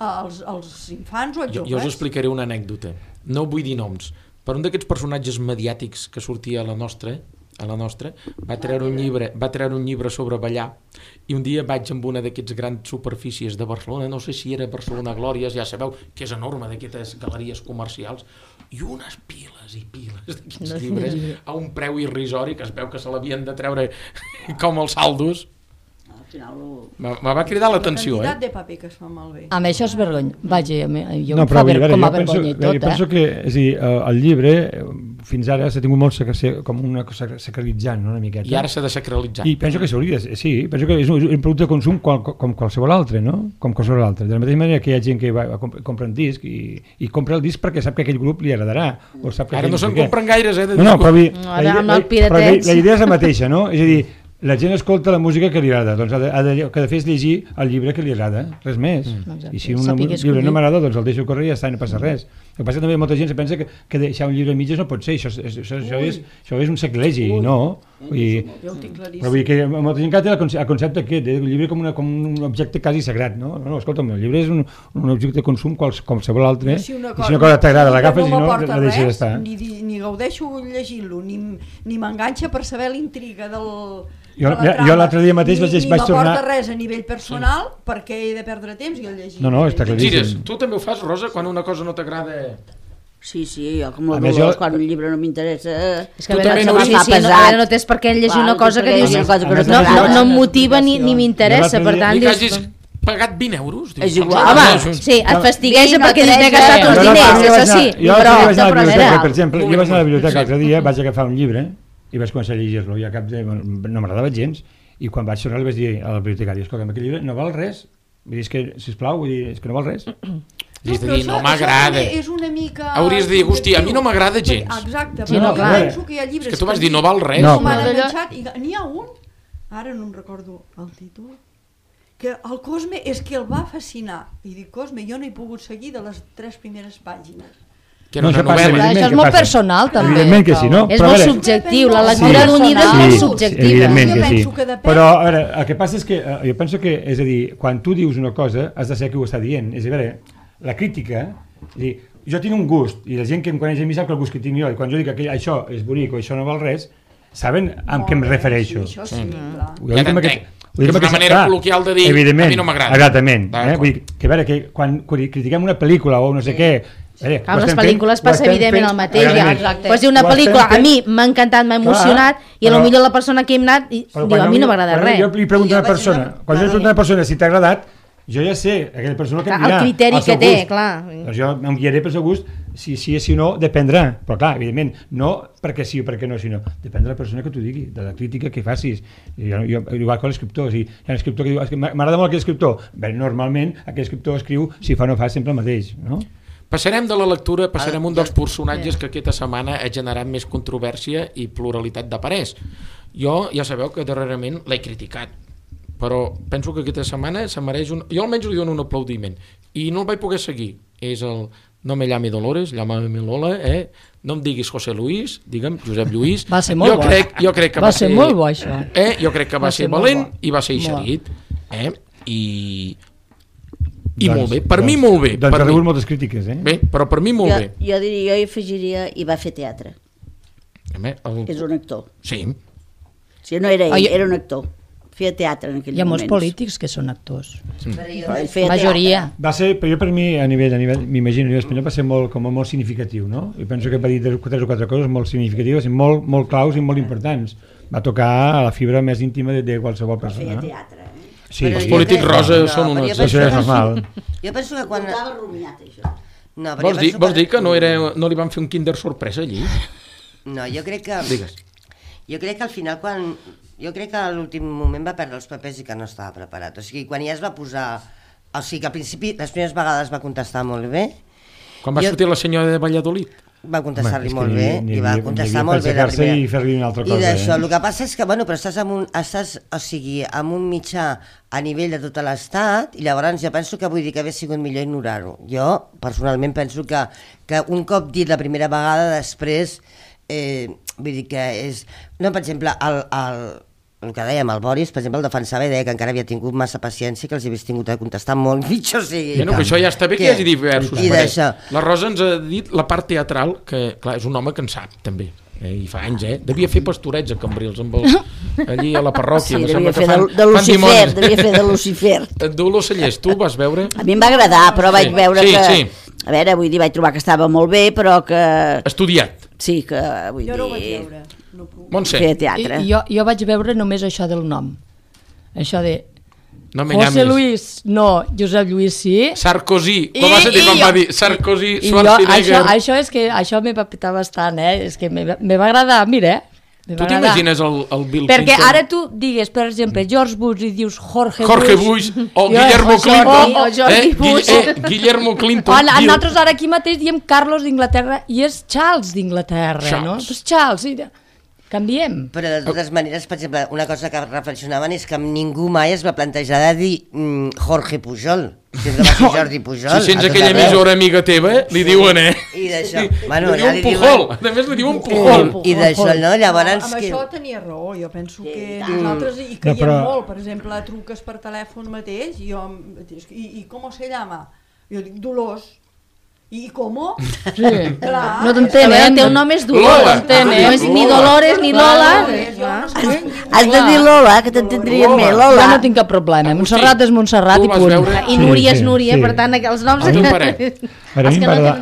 als infants o als joves. Jo us explicaré una anècdota, no vull dir noms, però un d'aquests personatges mediàtics que sortia a la nostra va treure un llibre sobre ballar, i un dia vaig amb una d'aquests grans superfícies de Barcelona, no sé si era Barcelona Glòries, ja sabeu que és enorme, d'aquestes galeries comercials, i unes piles i piles d'aquests llibres a un preu irrisori que es veu que se l'havien de treure com els saldos. Me va cridar l'atenció. La quantitat de paper que es fa malbé. Amb això és vergonya. Vaja, jo em fa com a vergonya i tot. Jo penso que el llibre fins ara s'ha tingut molt com una cosa sacralitzant, una miqueta. I ara s'ha de sacralitzar. I penso que s'hauria, sí, penso que és un producte de consum com qualsevol altre, no? Com qualsevol altre. De la mateixa manera que hi ha gent que compra un disc i compra el disc perquè sap que aquell grup li agradarà. Ara no se'n compren gaires, No, però la idea és la mateixa, no? És a dir, la gent escolta la música que li agrada, doncs el que ha de fer és llegir el llibre que li agrada, res més. I si un llibre no m'agrada, doncs el deixo córrer i ja està, no passa res. El que passa que també molta gent se pensa que deixar un llibre a mitges no pot ser, això és un sacrilegi, no? Jo ho tinc claríssim. Però vull dir que molta gent que té el concepte aquest, el llibre com un objecte quasi sagrat, no? No, escolta'm, el llibre és un objecte de consum com qualsevol altre, i si una cosa t'agrada l'agafes i no la deixes estar. Ni gaudeixo llegint-lo, ni m'enganxa per saber l'intriga del... Jo l'altre dia mateix vaig tornar... Ni m'aporta res a nivell personal perquè he de perdre temps i el llegir. No, està claríssim. Gires, tu també ho fas, Rosa, quan una cosa no t'agrada? Sí, jo com la Dolors, quan un llibre no m'interessa... És que no tens per què llegir una cosa que dius no em motiva ni m'interessa, per tant... I que hagis pagat 20 euros? És igual. Home, sí, et fastigueja perquè dius m'he gastat els diners, això sí. Per exemple, jo vaig anar a la biblioteca l'altre dia, vaig agafar un llibre i vaig començar a llegir-lo i a cap de... no m'agradava gens, i quan vaig tornar li vaig dir a la bibliotecària, escolta, aquest llibre no val res, vull dir, és que, sisplau, és que no val res. És a dir, no m'agrada. És una mica... Hauries de dir, hosti, a mi no m'agrada gens. Exacte, però jo penso que hi ha llibres... És que tu vas dir, no val res. N'hi ha un, ara no em recordo el títol, que el Cosme és que el va fascinar. I dic, Cosme, jo no he pogut seguir de les 3 primeres pàgines. Que no, això és molt personal també. Evidentment que sí, no? És molt subjectiu, la lectura d'un llibre és molt subjectiva. Evidentment que sí. Però a veure, el que passa és que jo penso que, és a dir, quan tu dius una cosa has de saber qui ho està dient. És a veure, la crítica, és a dir, jo tinc un gust i la gent que em coneix a mi sap que el gust que tinc jo, i quan jo dic que això és bonic o això no val res, saben amb què em refereixo. Això sí, clar. Ja t'entenc. És una manera col·loquial de dir a mi no m'agrada. Exactament. Vull dir que a veure, que quan critiquem una pel·lícula o no sé què, amb les pel·lícules passa evidentment el mateix. Pots dir una pel·lícula, a mi m'ha encantat, m'ha emocionat, i potser la persona que he anat diu, a mi no m'agrada res. Jo li pregunto a una persona, quan jo li pregunto a una persona si t'ha agradat, jo ja sé, aquella persona que em dirà el criteri que té, clar. Doncs jo em guiaré pel seu gust, si sí o si no, dependrà. Però clar, evidentment, no perquè sí o perquè no, sinó depèn de la persona que t'ho digui, de la crítica que facis. Igual que l'escriptor, hi ha un escriptor que diu, m'agrada molt aquell escriptor. Bé, normalment aquell escriptor escriu, si fa o no fa, sempre el mateix, no? Passarem de la lectura, passarem un dels personatges que aquesta setmana ha generat més controvèrsia i pluralitat de parers. Jo ja sabeu que darrerament l'he criticat, però penso que aquesta setmana se mereix un... Jo almenys li dono un aplaudiment i no el vaig poder seguir. És el No me llame Dolores, llámame Lola, no em diguis José Luis, digue'm Josep Lluís. Va ser molt bo. Jo crec que va ser molt bo, això. Jo crec que va ser valent i va ser eixerit. I molt bé, per mi molt bé. Doncs ha rebut moltes crítiques, Bé, però per mi molt bé. Jo diria, jo hi afegiria, i va fer teatre. És un actor. Sí. Si no era ell, era un actor. feia teatre en aquell moment. Hi ha molts polítics que són actors. La majoria. Va ser, però jo per mi, a nivell m'imagino, a nivell espanyol, va ser molt significatiu, no? Jo penso que va dir 3 o 4 coses molt significatives, molt claus i molt importants. Va tocar a la fibra més íntima de qualsevol persona. Feia teatre, Sí, els polítics rosa són unes... Això és normal. Jo penso que quan... Portava rumiat, això. No, vols dir que no li van fer un kinder sorpresa allí? No, jo crec que... Digues. Jo crec que al final, jo crec que a l'últim moment va perdre els papers i que no estava preparat. O sigui, quan ja es va posar... O sigui, que al principi, les primeres vegades va contestar molt bé. Quan va sortir la senyora de Valladolid? Va contestar-li molt bé, i va contestar molt bé la primera. I fer-li una altra cosa. I d'això, el que passa és que, però estàs amb un mitjà a nivell de tot l'Estat, i llavors jo penso que vull dir que hauria sigut millor ignorar-ho. Jo, personalment, penso que un cop dit la primera vegada, després, vull dir que és... No, per exemple, el que dèiem, el Boris, per exemple, el defensava i deia que encara havia tingut massa paciència, que els hagués tingut de contestar molt pitjor. O sigui, que això ja està bé que hi hagi diversos. La Rosa ens ha dit la part teatral, que clar, és un home que en sap, també. I fa anys, devia fer pastorets a Cambrils, allí a la parròquia. Sí, devia fer de Lucifer. Dolors Cellers, tu vas veure? A mi em va agradar, però vaig veure que... A veure, vull dir, vaig trobar que estava molt bé, però que... Estudiat. Sí, que vull dir... Jo no ho vaig veure. Montse. Jo vaig veure només això del nom. Això de... No José Luis, no, Josep Lluís sí. Sarkozy, com vas dir quan va dir Sarkozy, Schwarzenegger. Això és que això me va petar bastant, és que me va agradar, mira, tu t'imagines el Bill Clinton? Perquè ara tu digues, per exemple, George Bush i dius Jorge Bush o Guillermo Clinton. Guillermo Clinton. Nosaltres ara aquí mateix diem Carlos d'Inglaterra i és Charles d'Inglaterra, no? Pues Charles, canviem. Però de totes maneres, per exemple, una cosa que reflexionaven és que ningú mai es va plantejar de dir Jorge Pujol. Sempre va ser Jordi Pujol. Si sents aquella emissora amiga teva, li diuen, I d'això... Li diuen Pujol. A més li diuen Pujol. I d'això, no? Llavors... Amb això tenia raó. Jo penso que nosaltres hi caiem molt. Per exemple, truques per telèfon mateix i com se llama? Jo dic Dolors. I com? Sí. No t'entenen. El teu nom és Dolors. No és ni Dolores ni Lola. Has de dir Lola, que t'entendrien més. Lola. Jo no tinc cap problema. Montserrat és Montserrat i punt. I Núria és Núria, per tant, els noms... A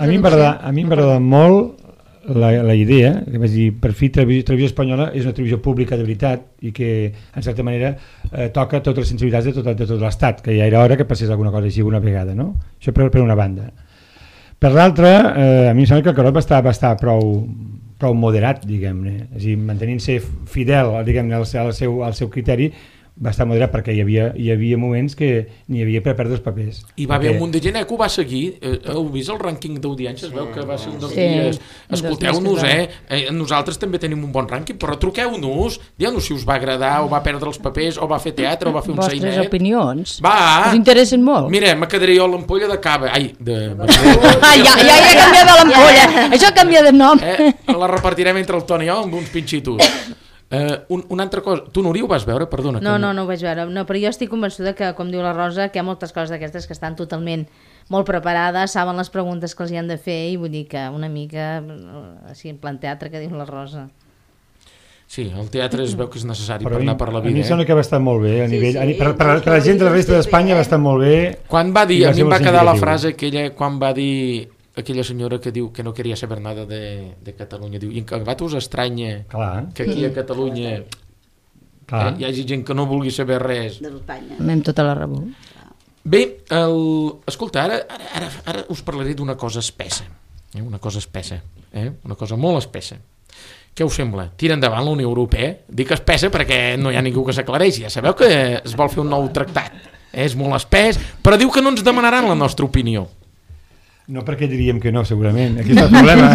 mi m'agrada molt la idea, que vaig dir, per fi Televisió Espanyola és una televisió pública de veritat i que, en certa manera, toca totes les sensibilitats de tot l'Estat, que ja era hora que passés alguna cosa així alguna vegada, no? Això per una banda. Per l'altra, a mi em sembla que el Carot va estar prou moderat, diguem-ne, és a dir, mantenint-se fidel, diguem-ne, al seu criteri, va estar moderat perquè hi havia moments que n'hi havia per perdre els papers. I va haver un munt de gent que ho va seguir. Heu vist el rànquing d'audiència? Es veu que va ser un dels dies. Escolteu-nos, nosaltres també tenim un bon rànquing, però truqueu-nos, dieu-nos si us va agradar o va perdre els papers o va fer teatre o va fer un sainet. Vostres opinions. Va! Us interessen molt. Mira, me quedaré jo a l'ampolla de cava. Ai, ja he canviat de l'ampolla. Això canvia de nom. La repartirem entre el Toni i jo amb uns pinxitos. Una altra cosa, tu Núria ho vas veure? Perdona. No ho vaig veure, però jo estic convençuda que, com diu la Rosa, que hi ha moltes coses d'aquestes que estan totalment molt preparades, saben les preguntes que els hi han de fer i vull dir que una mica així en plan teatre que diu la Rosa. Sí, el teatre es veu que és necessari per anar per la vida. A mi em sembla que va estar molt bé, a nivell, per la gent de la resta d'Espanya va estar molt bé. Quan va dir, a mi em va quedar la frase aquella, quan va dir aquella senyora que diu que no queria saber nada de Catalunya, diu, i en acabat us estranya que aquí a Catalunya hi hagi gent que no vulgui saber res d'Espanya. Anem tota la raó. Bé, escolta, ara us parlaré d'una cosa espessa, una cosa espessa, una cosa molt espessa. Què us sembla? Tira endavant la Unió Europea? Dic espessa perquè no hi ha ningú que s'aclareixi, ja sabeu que es vol fer un nou tractat, és molt espès, però diu que no ens demanaran la nostra opinió. No perquè diríem que no, segurament. Aquí està el problema.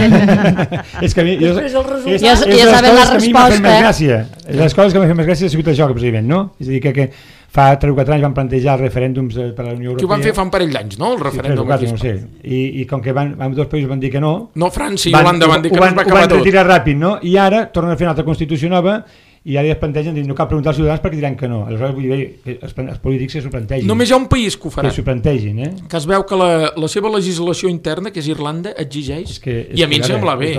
És que a mi... Ja saben la resposta. Les coses que m'han fet més gràcia ha sigut això, precisament, no? És a dir, que fa 3 o 4 anys van plantejar referèndums per a la Unió Europea. Que ho van fer fa un parell d'anys, no? El referèndum. Sí, 3 o 4, no sé. I com que dos països van dir que no... No, França i Holanda van dir que no es va acabar tot. Ho van retirar ràpid, no? I ara tornen a fer una altra Constitució nova i ara es plantegen, no cal preguntar als ciutadans perquè diran que no. Aleshores vull dir que els polítics s'ho plantegin. Només hi ha un país que ho farà. Que s'ho plantegin, que es veu que la seva legislació interna, que és Irlanda, exigeix, i a mi em sembla bé.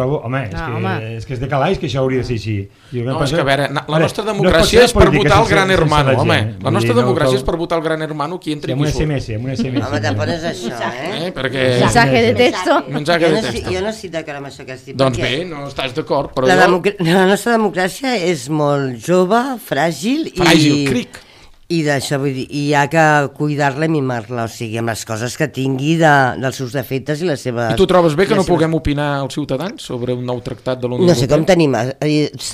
És que és de calaix que això hauria de ser així. No, és que a veure, la nostra democràcia és per votar el gran hermano, home. La nostra democràcia és per votar el gran hermano qui entri i qui surt. Amb un SMS. Home, tampoc és això, Mensaje de texto. Jo no estic d'acord amb això que has dit. Doncs bé, no estàs d'acord, però la nostra democràcia és molt jove, fràgil, cric. I d'això vull dir, i hi ha que cuidar-la i mimar-la, o sigui, amb les coses que tingui dels seus defectes i les seves... I tu trobes bé que no puguem opinar als ciutadans sobre un nou tractat de la Unió Europea? No sé com tenim...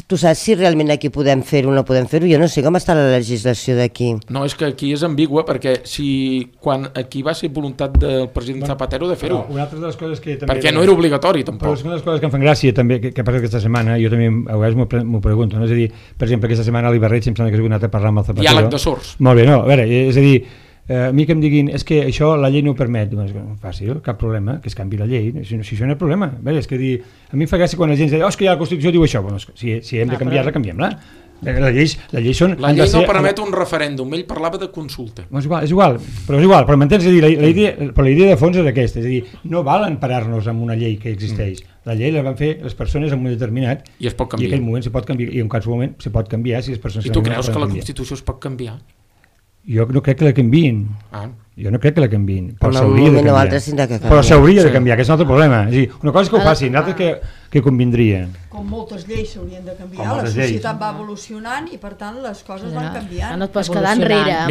Tu saps si realment aquí podem fer-ho o no podem fer-ho? Jo no sé com està la legislació d'aquí. No, és que aquí és ambigua, perquè quan aquí va ser voluntat del president Zapatero de fer-ho. Una altra de les coses que també... Perquè no era obligatori, tampoc. Però una de les coses que em fan gràcia també, que passa aquesta setmana, jo també a vegades m'ho pregunto, no? És a dir, per exemple, aquesta setmana a l'Ibarreig em sembla que has anat a parlar amb el Zapatero. Diàleg de sords. Molt bé, no, a veure, és a dir, a mi que em diguin és que això la llei no ho permet, doncs fàcil, cap problema, que es canvi la llei, si això no és problema. A veure, és que dir, a mi em fa gràcia quan la gent diu, és que ja la Constitució diu això, bueno, si hem de canviar-la, canviem-la. La llei no permet un referèndum, ell parlava de consulta. És igual, però m'entens? La idea de fons és aquesta, és a dir, no val emparar-nos amb una llei que existeix. La llei la van fer les persones en un moment determinat i es pot canviar. I en aquell moment se pot canviar, i en qualsevol moment se pot canviar si les persones... I tu creus que la Constitució es pot canviar? Jo no crec que la canviïn. Jo no crec que la canviïn. Però s'hauria de canviar. Però s'hauria de canviar, que és un altre problema. És a dir, una cosa és que ho facin, l'altra que convindria. Com moltes lleis s'haurien de canviar, la societat va evolucionant i per tant les coses van canviant. No et pots quedar enrere.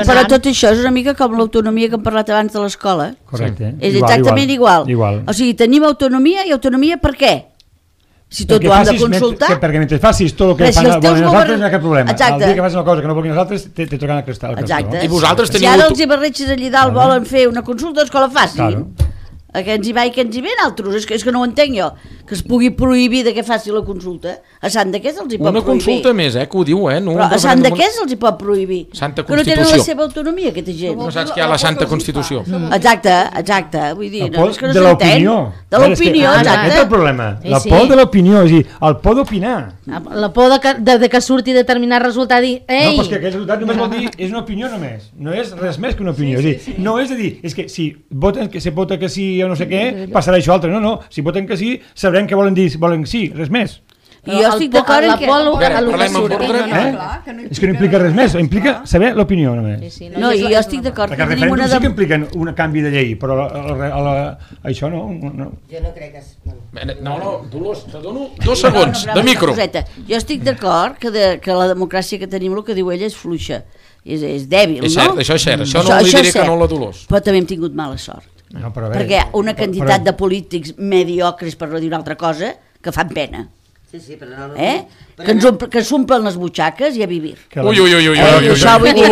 Però tot això és una mica com l'autonomia que hem parlat abans de l'escola. Correcte. És exactament igual. O sigui, tenim autonomia i autonomia per què? Si tot ho hem de consultar... Perquè mentre facis tot el que volen els altres no hi ha cap problema. El dia que fas una cosa que no volen els altres te toquen el cristal. I vosaltres teniu... Si ara els Ibarretxes allà dalt volen fer una consulta, doncs que la facin. Que ens hi va i que ens hi ve altres, és que no ho entenc jo, que es pugui prohibir de que faci la consulta. A Sant de què se'ls hi pot prohibir? Una consulta més, que ho diu, no? Però a Sant de què se'ls hi pot prohibir? Santa Constitució. Que no tenen la seva autonomia, aquesta gent. No saps que hi ha la Santa Constitució. Exacte, vull dir, és que no s'entén. De l'opinió, exacte. Aquest és el problema, la por de l'opinió, és a dir, el por d'opinar. La por de que surti determinat resultat i... No, però és que aquest resultat només vol dir, és una opinió només, no és res més que una opinió. No és a dir, és que si se vota que sí o no sé què, passarà això altre. No, si voten que sí, sabrem què volen dir, volen sí, res més. I jo estic d'acord en que... És que no implica res més, implica saber l'opinió només. No, i jo estic d'acord. Perquè el referèndum sí que implica un canvi de llei, però això no. Jo no crec que... No, Dolors, te dono 2 segons de micro. Jo estic d'acord que la democràcia que tenim, el que diu ella, és fluixa, és dèbil, no? És cert, això és cert, això no li diré que no la Dolors. Però també hem tingut mala sort. Perquè una quantitat de polítics mediocres, per no dir una altra cosa, que fan pena. Sí, però no... Que s'omplen les butxaques i a vivir. Ui. Això vull dir...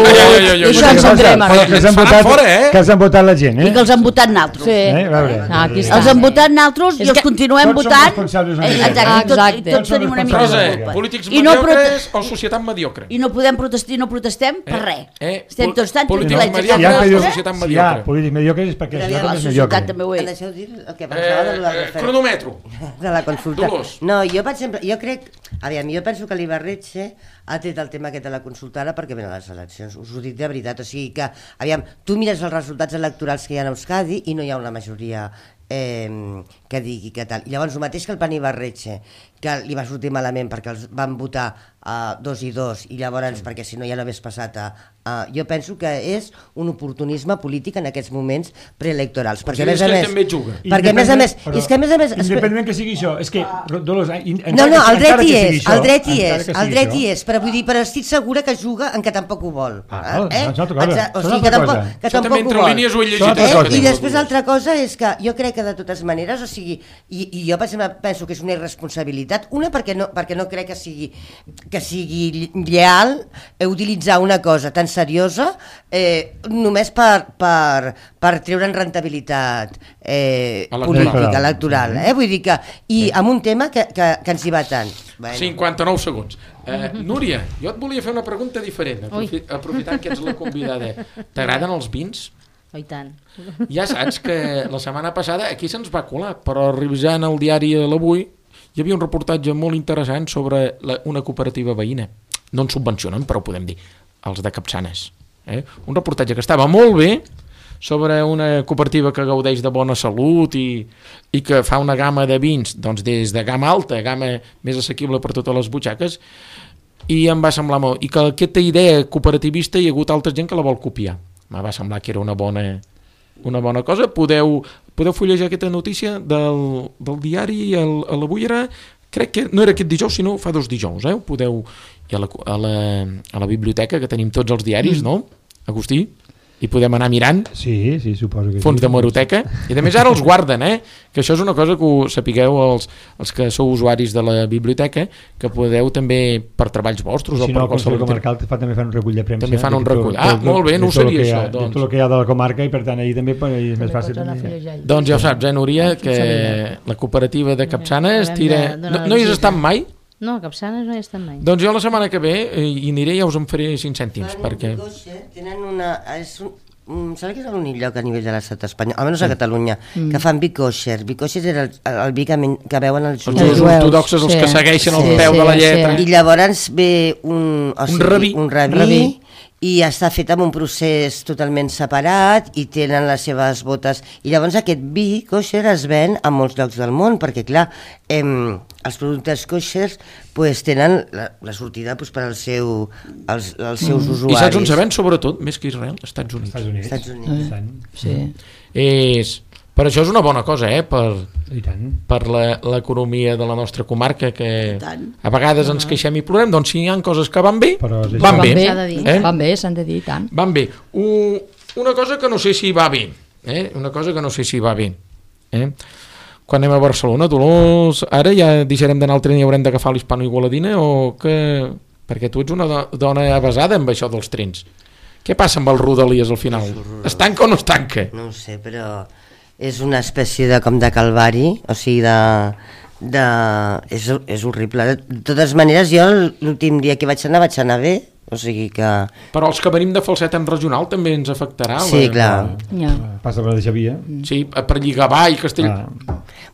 Això ens entrem. Que els han votat la gent, I que els han votat naltros. Els han votat naltros i els continuem votant. Exacte. Tots tenim una mica de culpa. Polítics mediocres o societat mediocre. I no podem protestar, no protestem per res. Estem tots tan tranquil·lets. Si hi ha polítics mediocres és perquè la societat també ho és. Deixeu dir el que pensava de la cronòmetro. De la consulta. No, jo per exemple, jo crec... Aviam, jo penso que l'Ibarretxe ha tret el tema aquest de la consulta ara perquè venen les eleccions, us ho dic de veritat, o sigui que, aviam, tu mires els resultats electorals que hi ha a Euskadi i no hi ha una majoria que digui que tal. I llavors el mateix que el Pan Ibarretxe, que li va sortir malament perquè els van votar 2 i 2 i llavors perquè si no ja no hagués passat jo penso que és un oportunisme polític en aquests moments preelectorals, perquè a més a més perquè a més a més independentment que sigui això, és que Dolors, no, el dret hi és, però vull dir, però estic segura que juga en que tampoc ho vol, o sigui que tampoc ho vol. I després l'altra cosa és que jo crec que de totes maneres, o sigui, i jo penso que és una irresponsabilitat, una perquè no crec que sigui lleal utilitzar una cosa tan seriosa només per treure'n rentabilitat política, electoral, vull dir que i amb un tema que ens hi va tant. 59 segons. Núria, jo et volia fer una pregunta diferent, aprofitant que ets la convidada. T'agraden els vins? Oh, i tant. Ja saps que la setmana passada aquí se'ns va colar, però revisant el diari l'Avui hi havia un reportatge molt interessant sobre una cooperativa veïna. No en subvencionen, però ho podem dir, els de Capçanes. Un reportatge que estava molt bé sobre una cooperativa que gaudeix de bona salut i que fa una gamma de vins, doncs des de gamma alta, gamma més assequible per totes les butxaques, i em va semblar molt... I que aquesta idea cooperativista hi ha hagut altra gent que la vol copiar. Em va semblar que era una bona cosa. Podeu fullejar aquesta notícia del diari a la Bullera, crec que no era aquest dijous, sinó fa 2 dijous, ho podeu... I a la biblioteca, que tenim tots els diaris, no, Agustí? I podem anar mirant. Sí, suposo que fons d'hemeroteca. I a més ara els guarden, que això és una cosa que ho sapigueu els que sou usuaris de la biblioteca, que podeu també per treballs vostres o per qualsevol... El Comarcal també fan un recull de premsa. També fan un recull. Molt bé, no ho sabia això. Tot el que hi ha de la comarca i per tant allà també és més fàcil. Doncs ja ho saps, Núria, que la cooperativa de Capçanes tira... No hi has estat mai? No, a Capçanes no hi estan mai. Doncs jo la setmana que ve hi aniré i ja us en faré 5 cèntims. Perquè... Tenen una... Sembla que és l'únic lloc a nivell de l'estat espanyol, almenys a Catalunya, que fan vi kosher. Vi kosher era el vi que veuen els jueus ortodoxes, els que segueixen el peu de la lletra. I llavors ve un rabí i està fet amb un procés totalment separat i tenen les seves botes. I llavors aquest vi kosher es ven a molts llocs del món, perquè clar, els productes kosher tenen la sortida per als seus usuaris. I saps on se ven sobretot, més que Israel? Estats Units. Sí. Per això és una bona cosa, per l'economia de la nostra comarca, que a vegades ens queixem i plorem, doncs si hi ha coses que van bé, van bé. Van bé, s'han de dir, tant. Van bé. Una cosa que no sé si va bé, quan anem a Barcelona, Dolors, ara ja deixarem d'anar al tren i haurem d'agafar l'Hispano-Igualadina, o que... Perquè tu ets una dona avesada amb això dels trens. Què passa amb els Rodalies al final? Es tanca o no es tanca? No ho sé, però... és una espècie de calvari, o sigui és horrible. De totes maneres, jo l'últim dia que vaig anar bé, o sigui que... Però els que venim de Falset en regional també ens afectarà. Sí, clar. Passa per la Xavia. Sí, per Lligavà i Castell...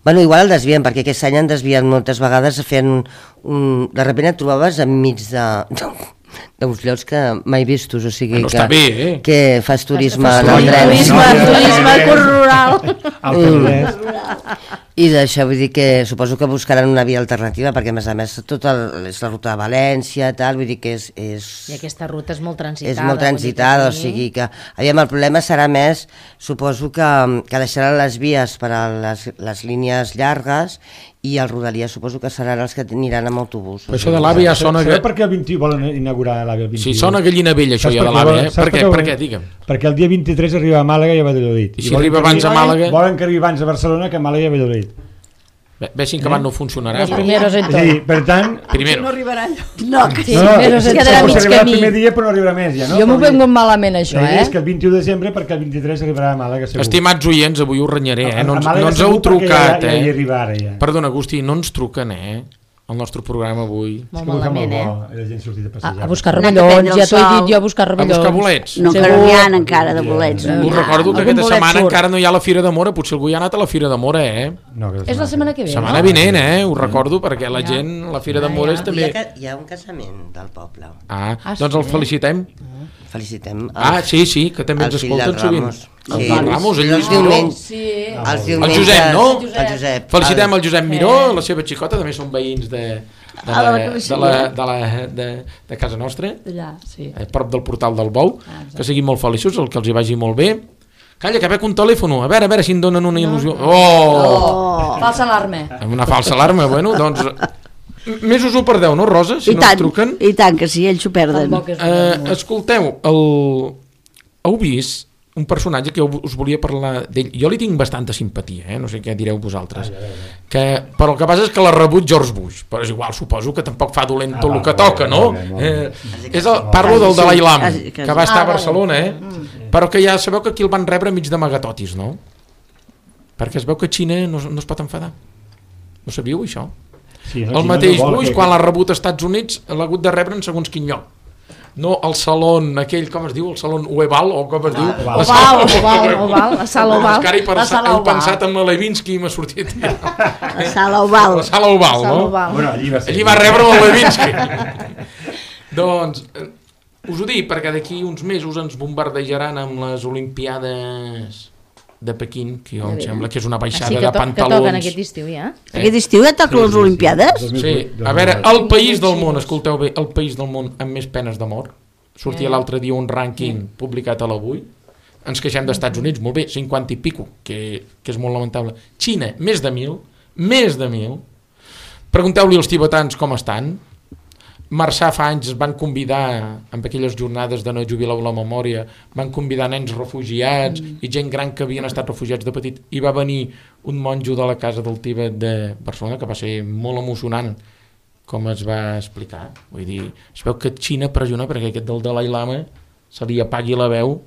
Bueno, igual el desvien, perquè aquest any han desviat moltes vegades fent de sobte et trobaves enmig d'uns llocs que mai vistos, o sigui que, bé, que fas turisme en el tren. Turisme rural. I d'això vull dir que suposo que buscaran una via alternativa, perquè a més tot és la ruta de València, tal, vull dir que és... I aquesta ruta és molt transitada. És molt transitada, o sigui que... Aviam, el problema serà més, suposo que deixaran les vies per a les línies llargues i el Rodalies suposo que seran els que aniran amb autobús. Però això de l'AVE ja sona... Sabeu per què el 21 volen inaugurar l'AVE el 21? Sí, sona gallina vella això ja de l'AVE, Per què? Digue'm. Perquè el dia 23 arriba a Màlaga i a Valladolid. I si arriba abans a Màlaga... Volen que arribi abans a Barcelona que a Màlaga i a Valladolid. Veixin que abans no funcionarà. Els primeros en tot. Sí, per tant... No arribarà allò. No, es quedarà mig camí. El primer dia però no arribarà més, ja, no? Jo m'ho vengo malament, això, És que el 21 de desembre, perquè el 23 arribarà a Màlaga, segur. Estimats oients, avui us renyaré, no ens heu trucat, ja hi arribarà, ja. Perdona, Agustí, no ens truquen, el nostre programa avui. Molt malament, la gent sortit a passejar. A buscar rovellons, ja t'ho he dit jo, a buscar rovellons. A buscar bolets. No, que no n'hi ha encara de bolets. Us recordo que aquesta setmana encara no hi ha la Fira de Mora, potser algú ja ha anat a la Fira de Mora, És la setmana que ve, setmana vinent, ho recordo, perquè la gent, la Fira de Mora és també... Hi ha un casament del poble. Doncs el felicitem. Felicitem. Sí, que també ens escolten sovint. El Ramos, el Lluís Miró. El Josep, no? El Josep. Felicitem el Josep Miró, la seva xicota, també són veïns de casa nostra, a prop del portal del Bou, que siguin molt feliços, el que els hi vagi molt bé. Calla, que veig un telèfon, a veure si em donen una il·lusió. Falsa alarma. Una falsa alarma, bueno, doncs... Més us ho perdeu, no, Rosa? Si no us truquen. I tant, que sí, ells ho perden. Escolteu, heu vist un personatge que us volia parlar d'ell. Jo li tinc bastanta simpatia, no sé què direu vosaltres. Però el que passa és que l'ha rebut George Bush, però és igual, suposo que tampoc fa dolent tot el que toca, no? Parlo del Dalai Lama, que va estar a Barcelona, però que ja sabeu que aquí el van rebre mig d'amagatotis, no? Perquè es veu que Xina no es pot enfadar. No sabíeu això? El mateix Bush, quan l'ha rebut als Estats Units, l'ha hagut de rebre en segons quin lloc. no el salón, aquell, com es diu, el salón Oval, o com es diu? Oval, la sala Oval. He pensat en la Levinsky i m'ha sortit... La sala Oval. La sala Oval, no? Bueno, allí va rebre la Levinsky. Doncs, us ho dic, perquè d'aquí uns mesos ens bombardejaran amb les Olimpiades de Pequín, que jo em sembla que és una baixada de pantalons. Que toquen aquest estiu, ja? Aquest estiu ja toquen les Olimpiades? Sí, a veure, el país del món, escolteu bé, el país del món amb més penes de mort. Sortia l'altre dia un rànquing publicat a l'Avui. Ens queixem d'Estats Units, molt bé, 50 i pico, que és molt lamentable. Xina, més de 1.000. Pregunteu-li als tibetans com estan. Marçà fa anys es van convidar, amb aquelles jornades de no jubilar la memòria, van convidar nens refugiats i gent gran que havien estat refugiats de petit, i va venir un monjo de la Casa del Tibet de Barcelona, que va ser molt emocionant, com es va explicar. Vull dir, es veu que Xina pressiona perquè aquest del Dalai Lama se li apagui la veu,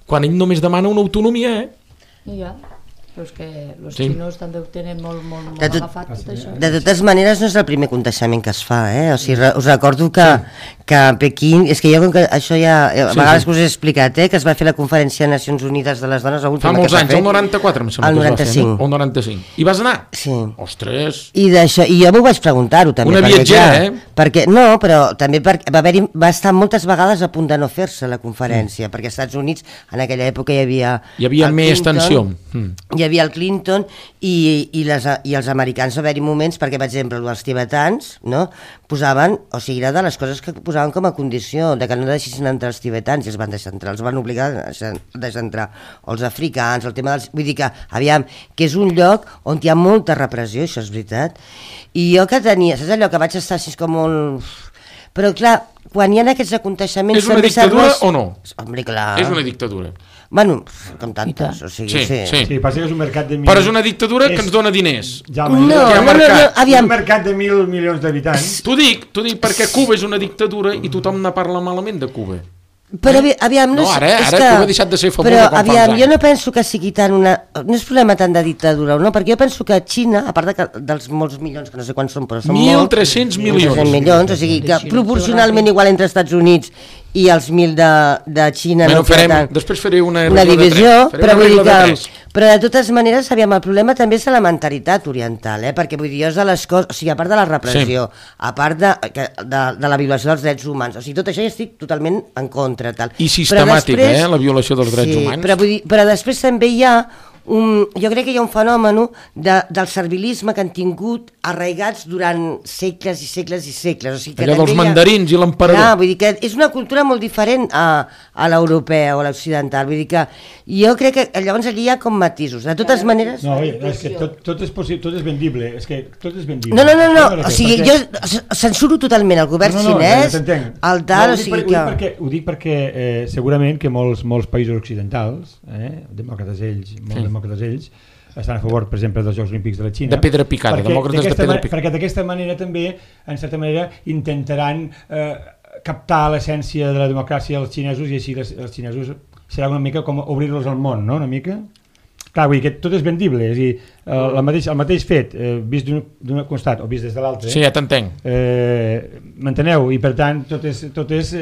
quan ell només demana una autonomia, Ja. Però és que els xinos també ho tenen molt agafat tot això. De totes maneres no és el primer contagiament que es fa, o sigui, us recordo que a Pequín, és que jo això ja a vegades us he explicat, que es va fer la conferència de Nacions Unides de les dones fa molts anys, el 94 em sembla que es va fer, no? El 95. I vas anar? Sí. Ostres! I jo m'ho vaig preguntar-ho també. Una viatgera, perquè, no, però també va estar moltes vegades a punt de no fer-se la conferència, perquè als Estats Units en aquella època hi havia més tensió. Hi havia el Clinton i els americans va haver-hi moments, perquè per exemple els tibetans, no, posaven, o sigui, era de les coses que posaven com a condició de que no deixessin entrar els tibetans, i els van deixar entrar, els van obligar a deixar entrar, o els africans, el tema dels... Vull dir que, aviam, que és un lloc on hi ha molta repressió, això és veritat, i jo que tenia, saps allò que vaig estar així com molt... Però clar, quan hi ha aquests aconteixements... És una dictadura o no? Home, clar. És una dictadura. Bueno, com tantes, o sigui, sí, passa que és un mercat de... Però és una dictadura que ens dona diners. No, aviam. Un mercat de 1.000 milions d'habitants. T'ho dic perquè Cuba és una dictadura i tothom ne parla malament de Cuba. Però aviam, no, ara Cuba ha deixat de ser famosa com fa uns anys. Jo no penso que sigui tant una... No és problema tant de dictadura, no? Perquè jo penso que Xina, a part dels molts milions, que no sé quants són, però són 1.300 milions. 1.300 milions, o sigui que proporcionalment igual entre Estats Units i els 1.000 de Xina. Després faré una divisió, però vull dir que... Però de totes maneres, aviam, el problema també és de la mentalitat oriental, perquè vull dir, és de les coses, o sigui, a part de la repressió, a part de la violació dels drets humans, o sigui, tot això ja estic totalment en contra. Tal. I sistemàtica, la violació dels drets humans. Però després també hi ha jo crec que hi ha un fenomen del servilisme que han tingut arraigats durant segles i segles i segles. O sigui, que allò dels mandarins i l'emperador. Vull dir que és una cultura molt diferent a l'europea o a l'occidental. Vull dir que jo crec que llavors allí hi ha com matisos. De totes maneres... No, és que tot és possible, tot és vendible. És que tot és vendible. No. O sigui, jo censuro totalment el govern xinès, el tal... Ho dic perquè segurament que molts països occidentals, demòcrates ells, estan a favor, per exemple, dels Jocs Olímpics de la Xina. De pedra picada, demòcrates de pedra picada. Perquè d'aquesta manera també, en certa manera, intentaran captar l'essència de la democràcia dels xinesos i així els xinesos serà una mica com obrir-los al món, no? Una mica... Clar, vull dir que tot és vendible, és a dir, el mateix fet, vist d'un costat o vist des de l'altre... Sí, ja t'entenc. M'enteneu? I per tant tot és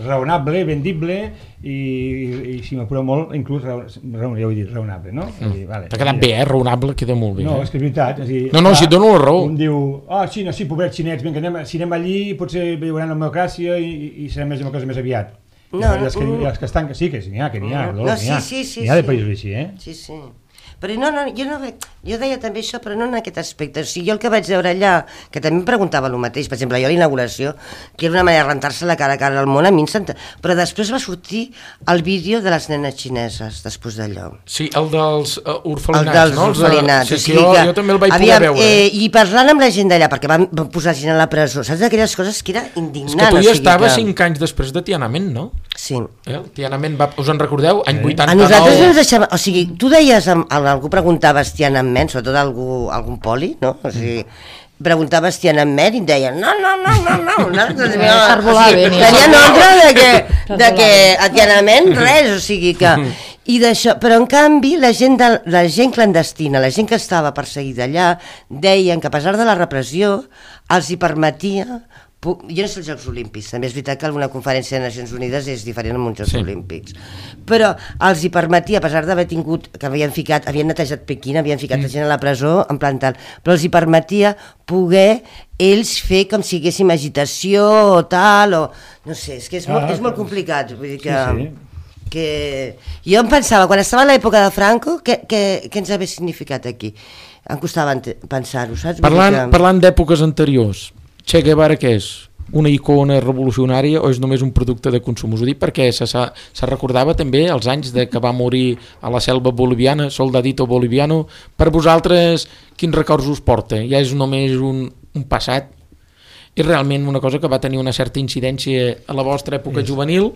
raonable, vendible i si m'apura molt, inclús raonable, no? T'ha quedat bé, raonable, queda molt bé. No, és que és veritat. No, si et dono la raó. Un diu, Xina, sí, pobrets xinets, vinga, si anem allí potser veuran la democràcia i serem més democràcia més aviat. Els que estan, que n'hi ha, n'hi ha de països així, Sí. Però jo deia també això, però no en aquest aspecte. O sigui, jo el que vaig veure allà, que també em preguntava el mateix, per exemple, jo a la inauguració, que era una manera de rentar-se la cara al món, a mi però després va sortir el vídeo de les nenes xineses, després d'allò. Sí, el dels orfelinats, no? Els orfelinats. Sí, jo també el vaig poder veure. I parlant amb la gent d'allà, perquè van posar gent a la presó, saps d'aquelles coses que era indignant. És que tu ja estaves 5 anys després de Tiananmen, no? Sí. Tiananmen, us en recordeu? Any 89. A nosaltres no ens deixava... O sigui, tu deies, algú preguntava Tiananmen, sobretot algun poli, no? O sigui, preguntava Tiananmen i em deien no. Tenien ordre de que a Tiananmen res, o sigui que... Però en canvi la gent clandestina, la gent que estava perseguida allà, deien que a pesar de la repressió els hi permetia jo no sé els Jocs Olímpics, també és veritat que alguna conferència de Nacions Unides és diferent amb uns Jocs Olímpics, però els hi permetia, a pesar d'haver tingut, que havien netejat Pequín, havien ficat gent a la presó, en plan tal, però els hi permetia poder ells fer com si haguéssim agitació o tal, o no sé, és que és molt complicat, vull dir que jo em pensava, quan estava a l'època de Franco, què ens hauria significat aquí? Em costava pensar-ho, saps? Parlant d'èpoques anteriors, Che Guevara què és? Una icona revolucionària o és només un producte de consum? Us ho dic perquè se recordava també els anys de que va morir a la selva boliviana, soldadito boliviano. Per vosaltres, quins records us porta? Ja és només un passat? És realment una cosa que va tenir una certa incidència a la vostra època juvenil?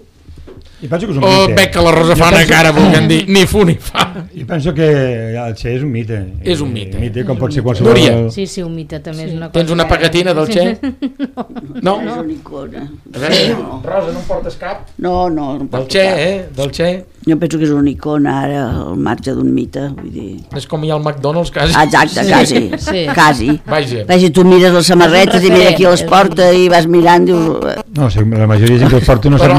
I penso que és un mite. Veig que la Rosa fa una cara volent dir ni fu ni fa. I penso que el Che és un mite. És un mite. Com pot ser qualsevol... Núria. Sí, un mite també és una cosa... Tens una pegatina del Che? No? És una icona. A veure, Rosa, no en portes cap? No. Del Che, del Che. Jo penso que és una icona ara, al marge d'un mite, vull dir... És com hi ha el McDonald's, quasi. Exacte, quasi. Vaja, tu mires les samarretes i mira qui les porta i vas mirant, dius... No, la majoria de gent que les porta no sap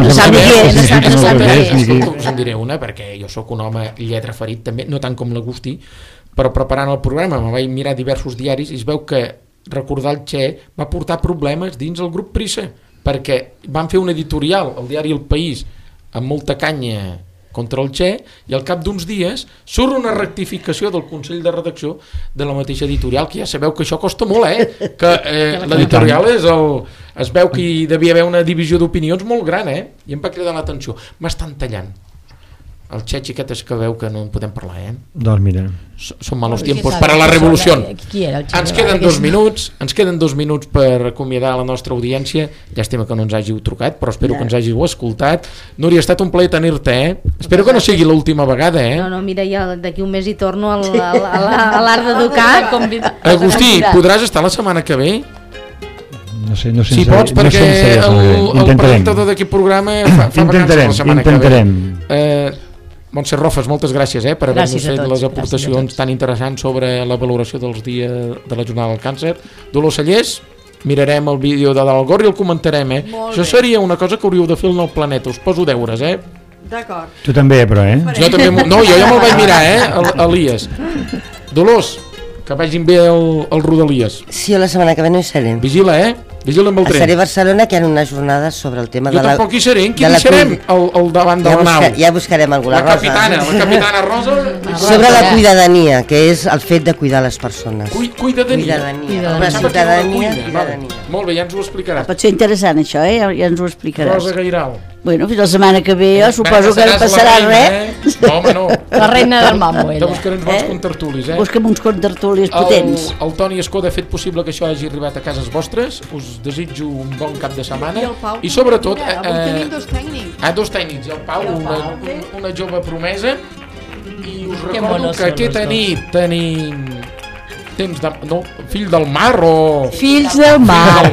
us en diré una, perquè jo sóc un home lletra ferit també, no tant com l'Agustí, però preparant el programa me vaig mirar diversos diaris i es veu que recordar el Che va portar problemes dins el grup Prisa, perquè van fer un editorial al diari El País amb molta canya contra el Che i al cap d'uns dies surt una rectificació del Consell de Redacció de la mateixa editorial, que ja sabeu que això costa molt, que l'editorial és es veu que hi devia haver una divisió d'opinions molt gran, i em va cridar l'atenció. M'estan tallant. El Che, xiquetes, que veu que no en podem parlar, Doncs mira. Són malos tiempos para la revolució. Ens queden 2 minuts per acomiadar la nostra audiència. Llàstima que no ens hàgiu trucat, però espero que ens hàgiu escoltat. Núria, ha estat un plaer tenir-te, Espero que no sigui l'última vegada, No, mira, ja d'aquí un mes hi torno a l'art d'educar. Agustí, podràs estar la setmana que ve? No sé, si pots, perquè el presentador d'aquest programa fa vacances la setmana que ve. Montse Rofes, moltes gràcies per haver-nos fet les aportacions tan interessants sobre la valoració dels dies de la jornada del càncer. Dolors Sallés, mirarem el vídeo de Dalt Gor i el comentarem. Això seria una cosa que hauríeu de fer al planeta, us poso deures. D'acord. Tu també, però, Jo també, no, jo ja me'l vaig mirar, Elias. Dolors, que vagin bé el Rodalies. Sí, la setmana que ve no hi serem. Vigila, vigila amb el tren. Seré a Barcelona, que hi ha unes jornades sobre el tema de la... Jo tampoc hi seré, en quin hi serem? Al davant de la nau. Ja buscarem alguna Rosa. La capitana Rosa. Sobre la cuidadania, que és el fet de cuidar les persones. Cuidadania. La ciutadania. Molt bé, ja ens ho explicaràs. Pot ser interessant això, ja ens ho explicaràs. Rosa Gairal. Bueno, fins la setmana que ve, jo suposo que no passarà res. No, home, no. La reina del mambo, ella. Te buscarem uns bons contertulis, Busca'm uns contertulis potents. El Toni Escoda ha fet possible que això hagi arribat a cases vostres. Us desitjo un bon cap de setmana. I sobretot... Avui tenim 2 tècnics. 2 tècnics. I el Pau, una jove promesa. I us recordo que aquesta nit tenim... Fill del Mar o... Fills del Mar.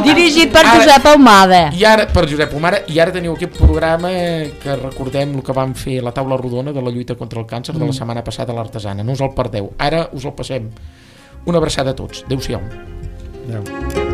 Dirigit per Josep Ahumada. I ara, per Josep Ahumada, i ara teniu aquest programa que recordem el que vam fer la taula rodona de la lluita contra el càncer de la setmana passada a l'Artesana. No us el perdeu. Ara us el passem. Una abraçada a tots. Adéu-siau. Adéu.